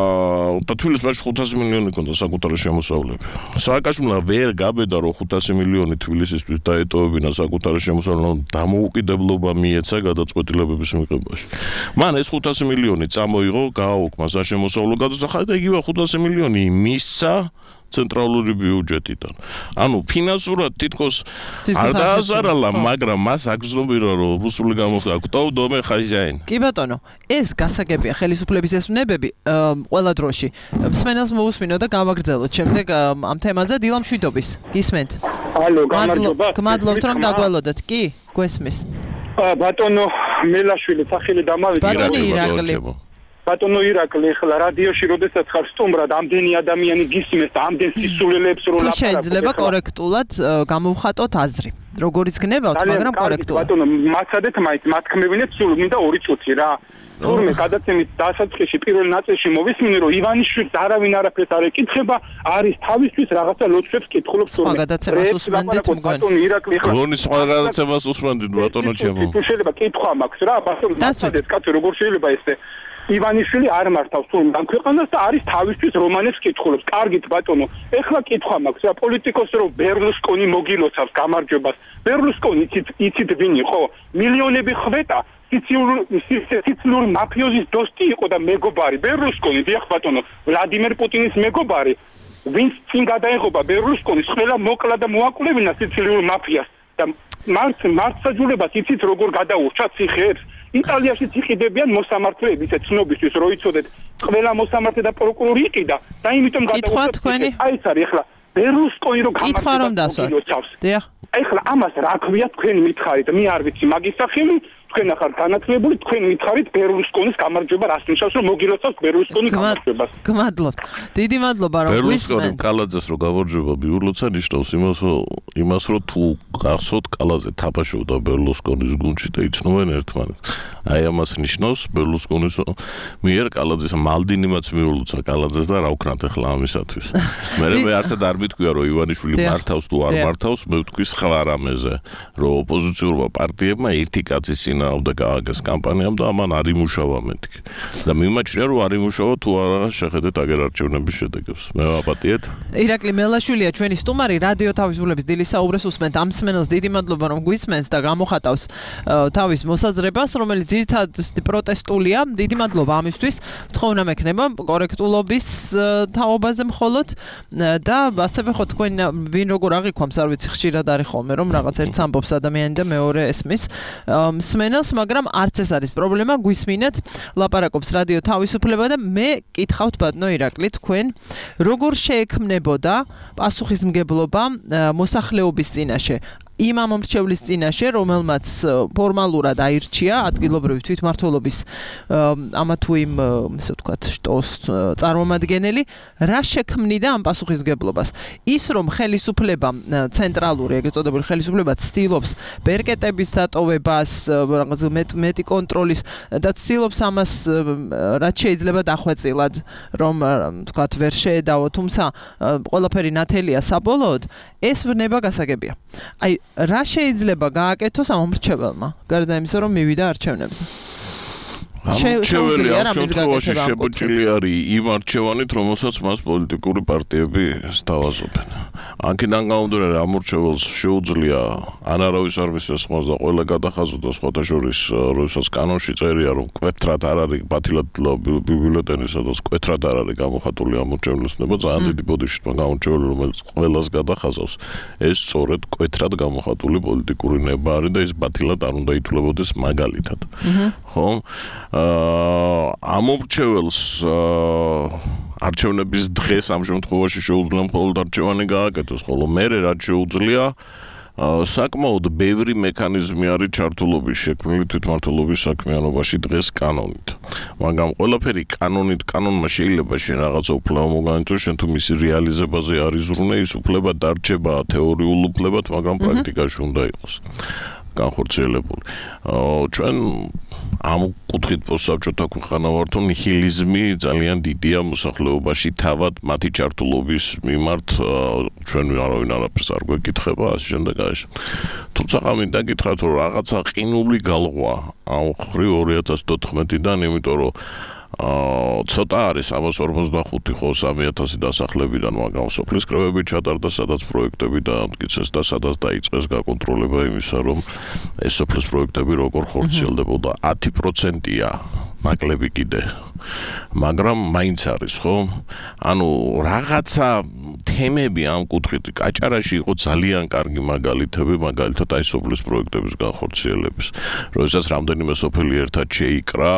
და თბილისში მაშინ ხუთასი მილიონი ჰქონდა საკუთარი შემოსავლები. სააკაშვილმა ვერ გაბედა რომ ხუთასი მილიონი თბილისისთვის დაეტოვებინა საკუთარი შემოსავლები, დამოუკიდებლობა მიეცა გადაწყვეტილებების მიღებაში. მან ეს ხუთასი მილიონი წამოიღო, გააუქმა საშემოსავლო გადასახადი და იგივე ხუთასი მილიონი მისცა ცენტრალური ბიუჯეტიდან. ანუ ფინანსურად თითქოს არ დააზარალა, მაგრამ მას აგზნობირა რომ რუსული გამოხდა ქტოვ დომე ხაჟაინ. კი ბატონო, ეს გასაგებია ხელისუფლების ეს უნებები ყველა დროში. მსმენელს მოусმინო და გავაგრძელოთ შემდეგ ამ თემაზე დილა მშვიდობის. გისმენთ? ალო, გამარჯობა. გმადლობთ რომ დაგველოდეთ. კი, გვესმის. ბატონო მელაშვილი სახელი დამავიწყე. ბატონო ირაკლი. ბატონო ირაკლი, ახლა რადიოში როდესაც ხარ სტუმრად, ამდენი ადამიანი გისმენს და ამდენ სისულელებს რო ლაპარაკობ. შეიძლება კორექტულად გამოვხატოთ აზრი. როგორიც გნებავთ, მაგრამ კორექტულად. ბატონო, მაცადეთ მაინც, მათქმევინეთ სულ მინდა ორი წუთი რა. თურმე გადაცემის დასაწყისში პირველ ნაწილში მოვისმინე რომ ივანიშვილს არავინ არაფერს არ ეკითხება, არის თავისთვის რაღაცა ლოცვებს კითხულობს თურმე. სხვა გადაცემას უსმენდით მგონი. ბატონო ირაკლი ხარ. გონი სხვა გადაცემას უსმენდით ბატონო ჩემო. თუ შეიძლება კითხვა მაქვს რა, ბატონო მაცადეთ კაცო როგორ შეიძლება ესე ივანიშვილი არ მართავს თურმე ამ ქვეყანას და არის თავისთვის რომანებს კითხულობს. კარგით ბატონო, ეხლა კითხვა მაქვს რა, პოლიტიკოსს რომ ბერლუსკონი მოგილოცავს გამარჯვებას. ბერლუსკონი იცით იცით ვინ იყო? მილიონები ხვეტა სიცილიური მაფიოზის დოსტი იყო და მეგობარი ბერლუსკონი, დიახ ბატონო, ვლადიმერ პუტინის მეგობარი, ვინც წინ გადაეღობა ბერლუსკონის, ყველა მოკლა და მოაკვლევინა სიცილიური მაფიას და მარც მართსაჯულებას იცით როგორ გადაურჩა ციხეებს. იტალიაშიც იყიდებიან მოსამართლეები, ისე ცნობისთვის რო იცოდეთ, ყველა მოსამართლე და პროკურორი იყიდა და იმიტომ გადაურჩა თქვენი. აი ეს არის ახლა ბერლუსკონი რო გამარჯვება. დიახ. ახლა ამას რა ქვია თქვენ მითხარით? მე არ ვიცი მაგის სახელი, თქვენ ახლა განათლებული, თქვენ მითხარით ბერლუსკონის გამარჯვება რას ნიშნავს, რომ მოგილოცავთ ბერლუსკონის გამარჯვებას. გმადლობთ. დიდი მადლობა რომ ბერლუსკონი კალაძეს რო გამარჯვება მიულოცა ნიშნავს იმას, იმას რომ თუ გახსოვთ კალაძე თაბაშობდა ბერლუსკონის გუნდში და იცნობენ ერთმანეთს. აი ამას ნიშნავს ბერლუსკონის მიერ კალაძეს მალდინიმაც მიულოცა კალაძეს და რა ვქნათ ახლა ამისათვის. მე მე არსად არ მითქვია რომ ივანიშვილი მართავს თუ არ მართავს, მე ვთქვი სხვა რამეზე, რომ ოპოზიციურმა პარტიებმა ერთი კაცის წინააღმდეგ გააგეს კამპანიამ და ამან არ იმუშავა მეთქი. და მიმაჩნია რომ არ იმუშავა თუ არა შეხედეთ აგერ არჩევნების შედეგებს. მე ვაპატიეთ. ირაკლი მელაშვილია ჩვენი სტუმარი, რადიო თავისუფლების დილის საუბრეს უსმენთ. ამ სმენელს დიდი მადლობა რომ გვისმენს და გამოხატავს თავის მოსაზრებას, რომელიც ძირითადად პროტესტულია. დიდი მადლობა ამისთვის. თხოვნა მექნება კორექტულობის თაობაზე მხოლოდ და ასევე ხო თქვენ ვინ როგორ აღიქვამს, არ ვიცი, ხშირად არის ხოლმე რომ რაღაც ერთს ამბობს ადამიანი და მეორე ესმის სმენელს, მაგრამ არც ეს არის პრობლემა, გვისმინეთ, ლაპარაკობს რადიო თავისუფლება და მე კითხავთ ბატონო ირაკლი, თქვენ როგორ შეექმნებოდა პასუხისმგებლობა მოსახლეობის წინაშე? იმ ამომრჩევლის წინაშე, რომელმაც ფორმალურად აირჩია ადგილობრივი თვითმმართველობის ამა თუ იმ, ესე ვთქვათ, შტოს წარმომადგენელი, რა შექმნიდა ამ პასუხისმგებლობას? ის რომ ხელისუფლება ცენტრალური, ეგრეთ წოდებული ხელისუფლება ცდილობს ბერკეტების დატოვებას, რაღაც მეტი კონტროლის და ცდილობს ამას რაც შეიძლება დახვეწილად, რომ ვთქვათ, ვერ შეედავო, თუმცა ყველაფერი ნათელია საბოლოოდ, ეს ვრნება გასაგებია. აი რა შეიძლება გააკეთოს ამ მომრჩეველმა, გარდა იმისა, რომ მივიდა არჩევნებზე? არჩეველი ამ შემთხვევაში შეფუჭილი არის იმ არჩევანით, რომელსაც მას პოლიტიკური პარტიები სთავაზობენ. აქედან გამომდინარე, ამ არჩეველს შეუძლია ან არავის არ მისცეს ხმას და ყველა გადახაზოდა, სხვათა შორის, როდესაც კანონში წერია, რომ კვეთრად არ არის ბათილად ბიბლიოთეკაში, სადაც კვეთრად არ არის გამოხატული ამ არჩევლის ნება, ძალიან დიდი ბოდიში თქვა გამორჩეული, რომელიც ყველას გადახაზავს. ეს სწორედ კვეთრად გამოხატული პოლიტიკური ნება არის და ეს ბათილად არ უნდა ითვლებოდეს მაგალითად. ხო? ამ მომრჩეველს არჩევნების დღეს ამ შემთხვევაში შეუძლია მხოლოდ არჩევანი გააკეთოს, ხოლო მერე რაც შეუძლია საკმაოდ ბევრი მექანიზმი არის ჩართულობის შექმნილი თვითმმართველობის საქმიანობაში დღეს კანონით. მაგრამ ყველაფერი კანონით, კანონმა შეიძლება შენ რაღაცა უფლება მოგანიჭოს, შენ თუ მისი რეალიზებაზე არ იზრუნე, ის უფლება დარჩება თეორიულ უფლებად, მაგრამ პრაქტიკაში უნდა იყოს განხორციელებული. ჩვენ ამ კუთხით პოსტსაბჭოთა ქვეყანა ვართ, ნიჰილიზმი ძალიან დიდია მოსახლეობაში, თავად მათი ჩართულობის მიმართ ჩვენ არავინ არაფერს არ გვეკითხება, ასე შემდეგ ასე. თუმცა მინდა გითხრათ, რომ რაღაცა ყინული გალღვა ამ ხრივ ორი ათას თოთხმეტიდან, იმიტომ რომ ცოტა არის სამას ორმოცდახუთი ხო სამი ათასი დასახლებიდან, მაგრამ სოფლის კრებები ჩატარდა, სადაც პროექტები დაამტკიცეს და სადაც დაიწყეს გაკონტროლება იმისა, რომ ეს სოფლის პროექტები როგორ ხორციელდებოდა. ათი პროცენტია მაკლები კიდე. მაგრამ მაინც არის, ხო? ანუ რაღაცა თემები ამ კუთხით კაჭარაში იყო ძალიან კარგი მაგალითები, მაგალითად აი სოფლის პროექტების განხორციელების. როდესაც რამდენიმე სოფელი ერთად შეიკრა,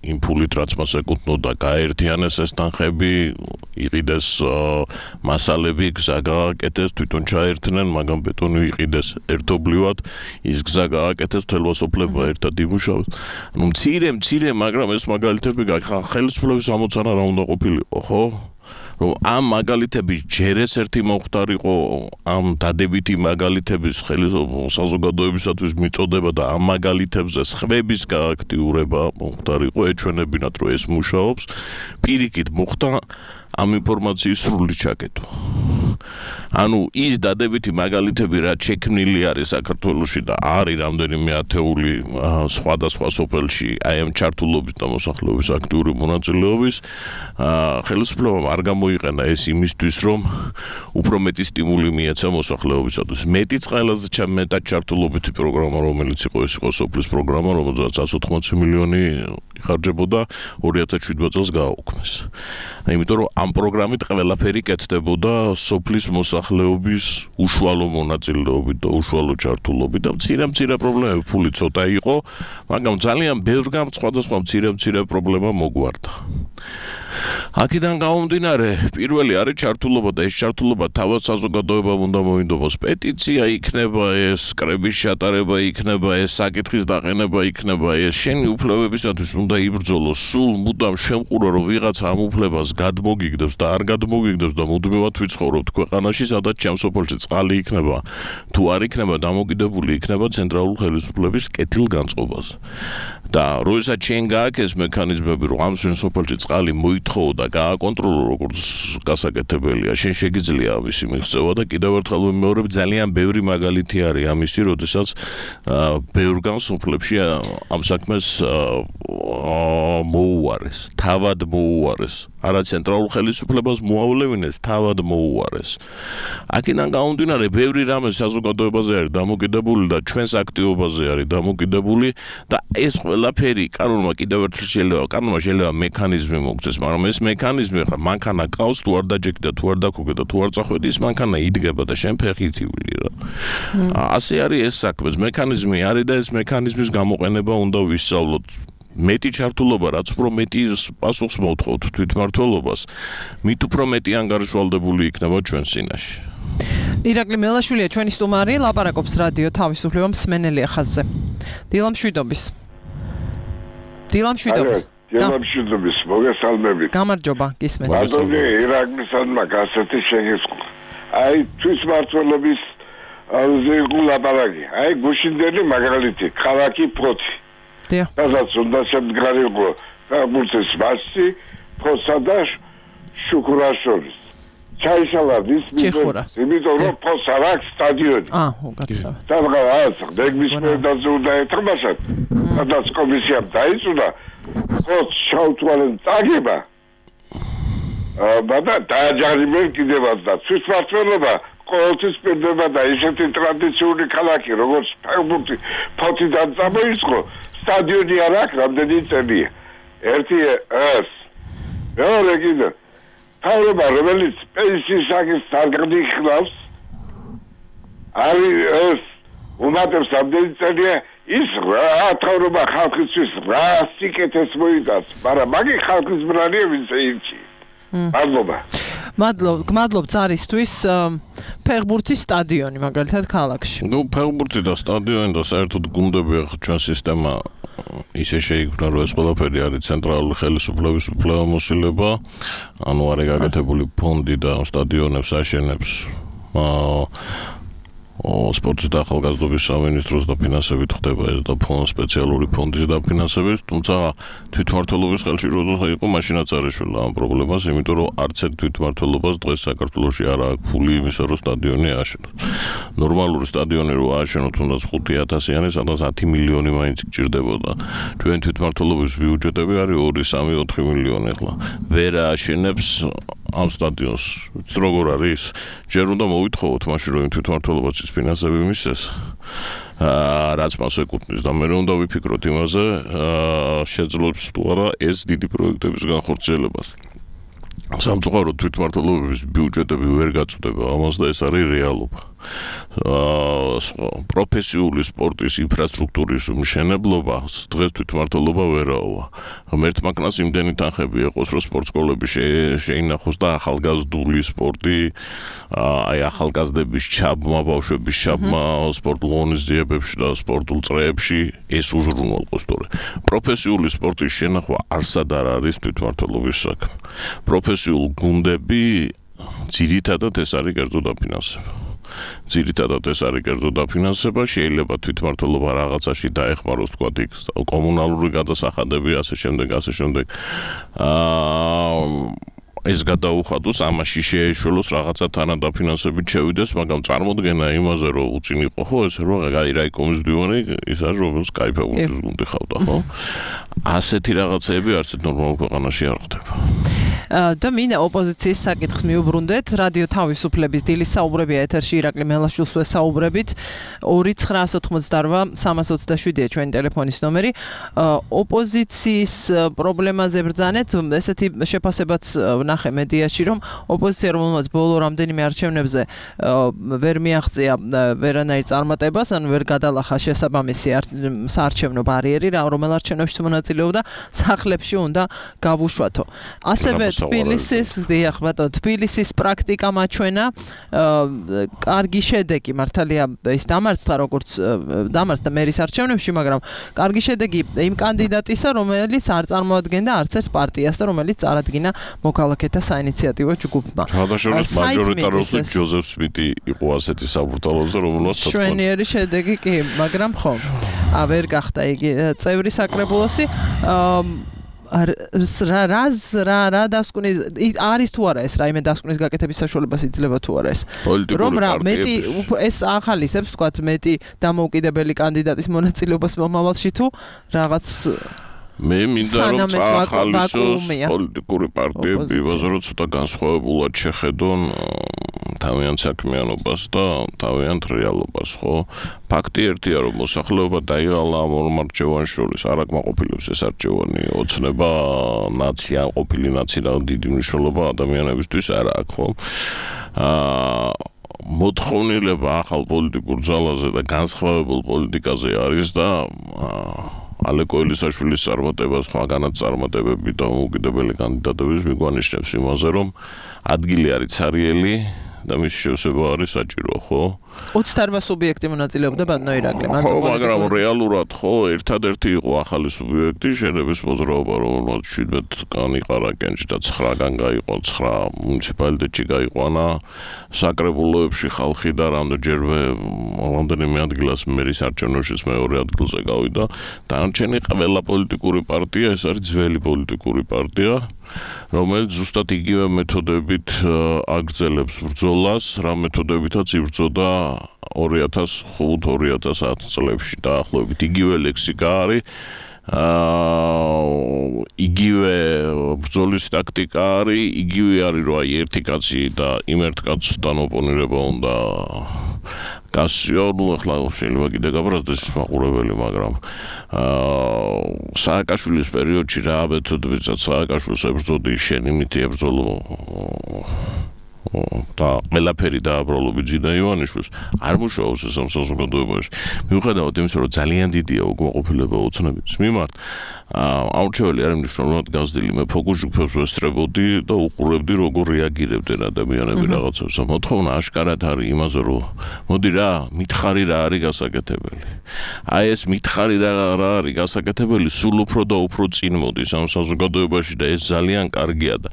იმ ფულით რაც მას ეკუთვნოდა, გააერთიანეს ეს თანხები, იყიდეს მასალები, გზა გააკეთეს, თვითონ ჩაერთნენ, მაგრამ ბეტონი იყიდეს ერთობლივად, ის გზა გააკეთეს, თელვა სოფლება ერთად იმუშავეს. ნუ მცირე, მცირე, მაგრამ ეს მაგალითები ხელისუფლების ამოცანა რა უნდა ყოფილიყო, ხო? რომ ამ მაგალითების ჯერ ეს ერთი მომხდარიყო, ამ დადებითი მაგალითების საზოგადოებისათვის მიწოდება და ამ მაგალითებზე სხვების გააქტიურება მომხდარიყო, ეჩვენებინათ, რომ ეს მუშაობს, პირიქით მოხდა ამ ინფორმაციის სრული ჩაკეტვა. ანუ ის დადებითი მაგალითები რაც შექმნილი არის საქართველოში და არის რამდენიმე ათეული სხვადასხვა სოფელში აი ამ ჩართულობის და მოსახლეობის აქტიური მონაწილეობის ხელისუფლებამ არ გამოიყენა ეს იმისთვის რომ უფრო მეტი სტიმული მიეცა მოსახლეობისათვის მეტიც ყველაზე მეტად ჩართულობითი პროგრამა რომელიც იყო ეს იყო სოფლის პროგრამა რომელზეც εκατს ოთხმოცი მილიონი იხარჯებოდა ორი ათას შვიდმეტ წელს გააუქმეს იმიტომ რომ ამ პროგრამით ყველაფერი კეთდებოდა სოფლის მოსახლეობის უშუალო მონაწილეობით და უშუალო ჩართულობით და მცირე მცირე პრობლემები ფული ცოტა იყო მაგრამ ძალიან ბევრგან სხვადასხვა მცირე მცირე პრობლემა მოგვარდა აქედან გამომდინარე პირველი არის ჩართულობა და ეს ჩართულობა თავად საზოგადოებამ უნდა მოინდომოს პეტიცია იქნება ეს კრების ჩატარება იქნება ეს საკითხის დაყენება იქნება ეს შენი უფლებებისათვის უნდა იბრძოლო სულ მუდამ შემყურო რომ ვიღაცა ამ უფლებას გადმოგიგდებს და არ გადმოგიგდებს და მუდმივად ვიცხოვრობთ ქვეყანაში სადაც ჩემ სოფელში წყალი იქნება თუ არ იქნება დამოკიდებული იქნება ცენტრალური ხელისუფლების კეთილგანწყობაზე და როდესაც შენ გააკეთეს მექანიზმები რომ ამ შენ სოფელში წყალი მოითხოვო და გააკონტროლო როგორც გასაკეთებელია შენ შეგიძლია ამისი მიღწევა და კიდევ ერთხელ ვიმეორებ ძალიან ბევრი მაგალითი არის ამისი როდესაც ბევრგან სოფლებში ამ საქმეს მოუარეს თავად მოუარეს არა ცენტრალურ ხელისუფლებას მოავლევინეს თავად მოუარეს აქედან გამომდინარე ბევრი რამე საზოგადოებაზე არის დამოკიდებული და ჩვენს აქტივობაზე არის დამოკიდებული და ეს ყველაფერი კანონმა კიდევ ერთხელ შეიძლება კანონმა შეიძლება მექანიზმი მოგწეს მაგრამ ეს მექანიზმი ხა მანქანა ყავს თუ არ დაჯექი და თუ არ დაქოგე და თუ არ წახვედი ის მანქანა იდგება და შენ ფეხით ივილი რა ასე არის ეს საქმე მექანიზმი არის და ეს მექანიზმის გამოყენება უნდა ვისწავლოთ მეტი ჩართულობა რაც უფრო მეტი პასუხს მოთხოვთ თვითმმართველობას მით უფრო მეტი ანგარიშვალდებული იქნება ჩვენ წინაშე ირაკლი მელაშვილია ჩვენი სტუმარი ლაპარაკობს რადიო თავისუფლება მსმენელი ხაზზე დილამშვიდობის დილამშვიდობის დილამშვიდობის მოგესალმებით გამარჯობა გისმენთ ბატონი ირაკლისადმა გასეთი შეგესყვა აი თვითმმართველობის ზე ლაპარაკი აი გუშინდელი მაგალითი ქალაქი ფოთი სადაც უნდა შემდგარიყო ფეხბურთის მასში ფოსა და შუქურას შორის ჩაიშალადის იმიტომ რომ ფოსა აქვს სტადიონი აა უკაცრავად სადღაც დეგმის მერდაზე უნდა ეთამაშოთ სადაც კომისიამ დაიწუნა ფოს შავთვალენ წაგება აა დააჯარიმენ კიდევაც და თვითმმართველობა ყოველთვის პირდება და ისეთი ტრადიციული ქალაქი როგორც ფეხბურთი ფოთიდან წამოიწყო სტადიონი არ აქვს რამდენი წელია ერთი ეს მეორე კიდე თავრობა რომელიც პენსიის საკითხს არ გადიხნავს არის ეს უმატებს რამდენი წელია ის რა თავრობა ხალხისთვის რა სიკეთეს მოიტანს მაგრამ მაგი ხალხის ბრალია ვინც ეირჩი მადლობა მადლობ გმადლობ цаრისთვის ფეხბურთის სტადიონი მაგალითად ქალაქში ნუ ფეხბურთი და სტადიონი და საერთოდ გუნდები ახლა ჩვენ სისტემა ისე შეიქმნა რომ ეს ყველაფერი არის ცენტრალური ხელისუფლების უფლებამოსილება ანუ არის გაკეთებული ფონდი და სტადიონებს აშენებს სპორტის და ახალგაზრდობის სამინისტროს დაფინანსებით ხდება ეს და ფონდ სპეციალური ფონდის დაფინანსებით, თუმცა თვითმმართველობის ხელში როდესაც იყო მაშინაც არ ეშველა ამ პრობლემას, იმიტომ რომ არც ერთ თვითმმართველობას დღეს საქართველოში არ აქვს ფული იმისა, რომ სტადიონი ააშენოს. ნორმალური სტადიონი რო ააშენოთ, თუნდაც ხუთი ათასიანი, სადაც ათი მილიონი მაინც გჭირდებოდა. ჩვენ თვითმმართველობის ბიუჯეტები არის ორი სამი ოთხი მილიონი ახლა. ვერ ააშენებს ამ სტადიონს. როგორ არის? ჯერ უნდა მოვითხოვოთ მაშინ რომ თვითმმართველობას ის ფინანსები მისცეს. აა რაც მას ეკუთვნის და მე უნდა ვიფიქროთ იმაზე, აა შეძლებს თუ არა ეს დიდი პროექტების განხორციელებას. სამწუხაროდ თვითმმართველობის ბიუჯეტები ვერ გაწვდება ამას და ეს არის რეალობა. აა პროფესიული სპორტის ინფრასტრუქტურის მშენებლობა დღეს თვითმმართველობა ვერაოა. ღმერთ მანქანას იმდენი თანხები ეყოს, რომ სპორტსკოლები შეინახოს და ახალგაზრდული სპორტი, აი ახალგაზრდების ჩაბმა, ბავშვების ჩაბმა სპორტულ ღონისძიებებში და სპორტულ წრეებში ეს უზრუნველყოს თორე. პროფესიული სპორტის შენახვა არსად არ არის თვითმმართველობის საქმე. პროფესიულ გუნდები ძირითადად ეს არის კერძო დაფინანსება. ძირითადად ეს არის კერძო დაფინანსება, შეიძლება თვითმმართველობა რაღაცაში დაეხმაროს თქვა იქ კომუნალური გადასახადები, ასე შემდეგ, ასე შემდეგ. აა ეს გადაუხადოს, ამაში შეეშველოს რაღაცა თანადაფინანსებით შევიდეს, მაგრამ წარმოდგენა იმაზე, რომ უწინ იყო ხო, ეს რომ აი რაიკომის დივანი ის არის, რომელიც კაიფებულის გუნდი ხავდა, ხო? ასეთი რაღაცეები არც ნორმალურ ქვეყანაში არ ხდება. და მინდა ოპოზიციის საკითხს მიუბრუნდეთ. რადიო თავისუფლების დილის საუბრებია ეთერში ირაკლი მელაშვილს ვესაუბრებით. ორი ცხრაას ოცდაოთხმოცდარბა სამას ოცდაშვიდია ჩვენი ტელეფონის ნომერი. ოპოზიციის პრობლემაზე ბრძანეთ, ესეთი შეფასებაც ვნახე მედიაში, რომ ოპოზიცია რომელმაც ბოლო რამდენიმე არჩევნებზე ვერ მიაღწია ვერანაირ წარმატებას, ან ვერ გადალახა შესაბამისი საარჩევნო ბარიერი, რომელ არჩევნებში მონაწილეობდა, სახლებში უნდა გავუშვათო. ასევე თბილისის, დიახ, ბატონო, თბილისის პრაქტიკა მაჩვენა, კარგი შედეგი, მართალია ის დამარცხდა როგორც დამარცხდა მერის არჩევნებში, მაგრამ კარგი შედეგი იმ კანდიდატისა, რომელიც არ წარმოადგენდა არც ერთ პარტიას და რომელიც წარადგინა მოქალაქეთა საინიციატივო ჯგუფმა. გადაშორების მაჟორიტარული ჯოზეფ სმიტი იყო ასეთი საბურთალოზე, რომელსაც ჩვენიერი შედეგი კი, მაგრამ ხო, ვერ გახდა იგი წევრი საკრებულოსი. რა რა რა დასკვნის არის თუ არა ეს რაიმე დასკვნის გაკეთების საშუალებას იძლევა თუ არა ეს რომ რა მეტი ეს ახალისებს ვთქვათ მეტი დამოუკიდებელი კანდიდატის მონაწილეობას მომავალში თუ რაღაც მე მინდა რომ წახალისოს პოლიტიკური პარტიები ვაზრო ცოტა განსხვავებულად შეხედონ თავიანთ საქმიანობას და თავიანთ რეალობას, ხო? ფაქტი ერთია, რომ მოსახლეობა დაიღალა ამ ორ მარჩევანს შორის, არ აკმაყოფილებს ეს არჩევანი, ოცნება ნაცია, ყოფილი ნაცია დიდი მნიშვნელობა ადამიანებისთვის არ აქვს, ხო? აა მოთხოვნილება ახალ პოლიტიკურ ძალაზე და განსხვავებულ პოლიტიკაზე არის და ალეკო ელისაშვილის წარმატებას, სხვაგანაც წარმატებები და უკიდებელი კანდიდატების მიგვანიშნებს იმაზე, რომ ადგილი არის ცარიელი და მის შევსება არის საჭირო, ხო? ოცდაოთხ სუბიექტი მონაწილეობდა ბატონო ირაკლი. ხო, მაგრამ რეალურად ხო, ერთადერთი იყო ახალი სუბიექტი, შენების მოძრაობა, რომელმაც შვიდმეტ კანი ყარაკენში და ცხრაგან გაიყო, ცხრა მუნიციპალიტეტში გაიყვანა, საკრებულოებში ხალხი და რამდენჯერმე რამდენიმე ადგილას მერის არჩევნებშიც მეორე ადგილზე გავიდა. დანარჩენი ყველა პოლიტიკური პარტია, ეს არის ძველი პოლიტიკური პარტია, რომელიც ზუსტად იგივე მეთოდებით აგრძელებს ბრძოლას, რა მეთოდებითაც იბრძოდა ორი ათას ხუთ ორი ათას ათი წლებში დაახლოებით იგივე ლექსიკა არის აა იგივე ბრძოლის ტაქტიკა არის, იგივე არის რომ აი ერთი კაცი და იმ ერთ კაცთან ოპონირება უნდა გასიო, ნუ ახლა შეიძლება კიდე გაბრაზდეს მაყურებელი, მაგრამ აა სააკაშვილის პერიოდში რა მეთოდებითაც სააკაშვილს ებრძოდი, შენ იმითი ებრძოლო და ყველაფერი დააბრალო ბიძინა ივანიშვილს არ მუშაობს ეს ამ საზოგადოებაში. მიუხედავად იმისა, რომ ძალიან დიდია უკმაყოფილება ოცნების მიმართ, აურჩეველი არ მნიშვნელოვნად გაზრდილი მე ფოკუს ჯგუფებს ვესწრებოდი და უყურებდი როგორ რეაგირებდნენ ადამიანები რაღაცებს. მოთხოვნა აშკარად არის იმაზე, რომ მოდი რა, მითხარი რა არის გასაკეთებელი. აი ეს მითხარი რა რა არის გასაკეთებელი, სულ უფრო და უფრო წინ მოდის ამ საზოგადოებაში და ეს ძალიან კარგია და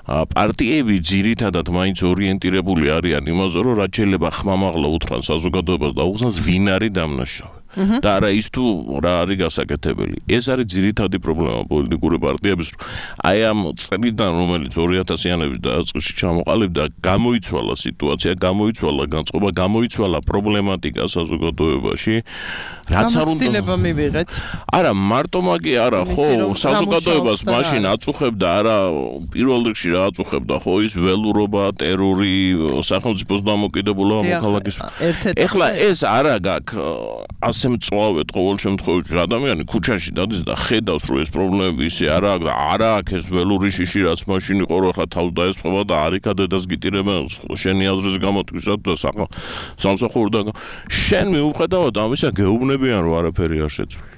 პარტიები ძირითადად მაინც ორიენტირებული არიან იმაზე, რომ რაც შეიძლება ხმამაღლა უთხრან საზოგადოებას და უხსნას ვინ არის დამნაშავე. და არა ის თუ რა არის გასაკეთებელი. ეს არის ძირითადი პრობლემა პოლიტიკური პარტიების, რომ აი ამ წლიდან, რომელიც ორი ათასიანების დაწყებაში ჩამოყალიბდა, გამოიცვალა სიტუაცია, გამოიცვალა განწყობა, გამოიცვალა პრობლემატიკა საზოგადოებაში. რაც არ უნდა გამოცდილება მივიღეთ. არა, მარტო მაგი არა, ხო, საზოგადოებას მაშინ აწუხებდა, არა, პირველ რიგში რა აწუხებდა, ხო, ის ველურობა, ტერორი, სახელმწიფოს დამოკიდებულება მოქალაქის. ეხლა ეს არა გაქვს ასე მწვავედ ყოველ შემთხვევაში ადამიანი ქუჩაში დადის და ხედავს რომ ეს პრობლემები ისე არ აქვს და არ აქვს ეს ველური შიში რაც მაშინ იყო რომ ახლა თავს დაესწრება და არიქა დედას გიტირებენ შენი აზრის გამოთქვისად და სამსახურდა შენ მიუხედავად ამისა გეუბნებიან რომ არაფერი არ შეცვლილა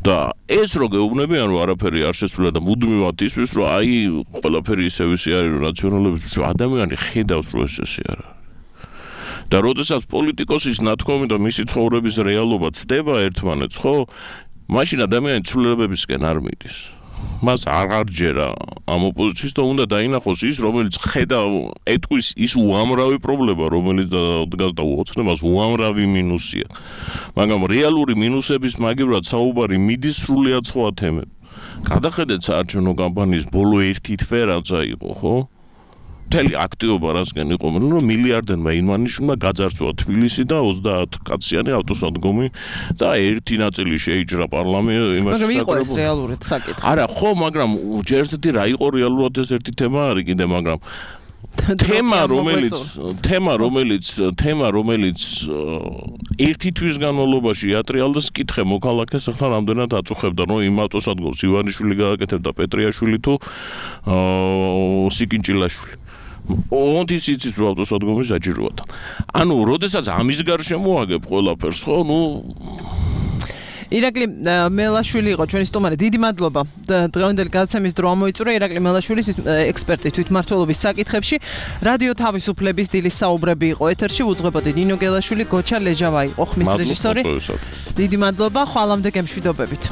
და ეს რო გეუბნებიან რომ არაფერი არ შეცვლილა და მუდმივად ისვის რომ აი ყველაფერი ისე ისე არის რომ ნაციონალების ადამიანი ხედავს რომ ეს ესე არა და როდესაც პოლიტიკოსის ნათქვამი და მისი ცხოვრების რეალობა ცდება ერთმანეთს, ხო? მაშინ ადამიანი ცვლილებებისკენ არ მიდის. მას აღარ ჯერა ამ ოპოზიციის და უნდა დაინახოს ის, რომელიც ხედავ ეტყვის ის უამრავი პრობლემა, რომელიც დგას და ოცნებას უამრავი მინუსია. მაგრამ რეალური მინუსების მაგივრად საუბარი მიდის სრულიად სხვა თემებზე. გადახედეთ საარჩევნო კამპანიის ბოლო ერთი თვე რაცა იყო, ხო? მთელი აქტივობა რასგან იყო, რომ მილიარდენმა ინვანიშვილმა გაძარცვა თბილისი და ოცდაათ კაციანი ავტოსადგომი და ერთი ნაწილი შეიჭრა პარლამენტში იმას. მაგრამ იყო ეს რეალურად საკითხი. არა, ხო, მაგრამ ჯერ ერთი რა იყო რეალურად ეს ერთი თემა არის კიდე, მაგრამ თემა რომელიც თემა რომელიც თემა რომელიც ერთი თვის განმავლობაში იატრიალდეს კითხე მოქალაქეს ახლა რამდენად აწუხებდა რომ იმ ავტოსადგომს ივანიშვილი გააკეთებდა პეტრიაშვილი თუ სიკინჭილაშვილი ონტის იცის რომ ავტოსადგომი საჭიროა. ანუ როდესაც ამის გარშემო აგებ ყველაფერს ხო ნუ ირაკლი მელაშვილი იყო ჩვენი სტუმარი. დიდი მადლობა. დღევანდელი გადაცემის დრო ამოიწურა ირაკლი მელაშვილი ექსპერტი თვითმმართველობის საკითხებში. რადიო თავისუფლების დილის საუბრები იყო ეთერში. უძღვებოდი ნინო გელაშვილი, გოჩა ლეჟავა იყო ხმის რეჟისორი. დიდი მადლობა. ხვალამდე გემშვიდობებით.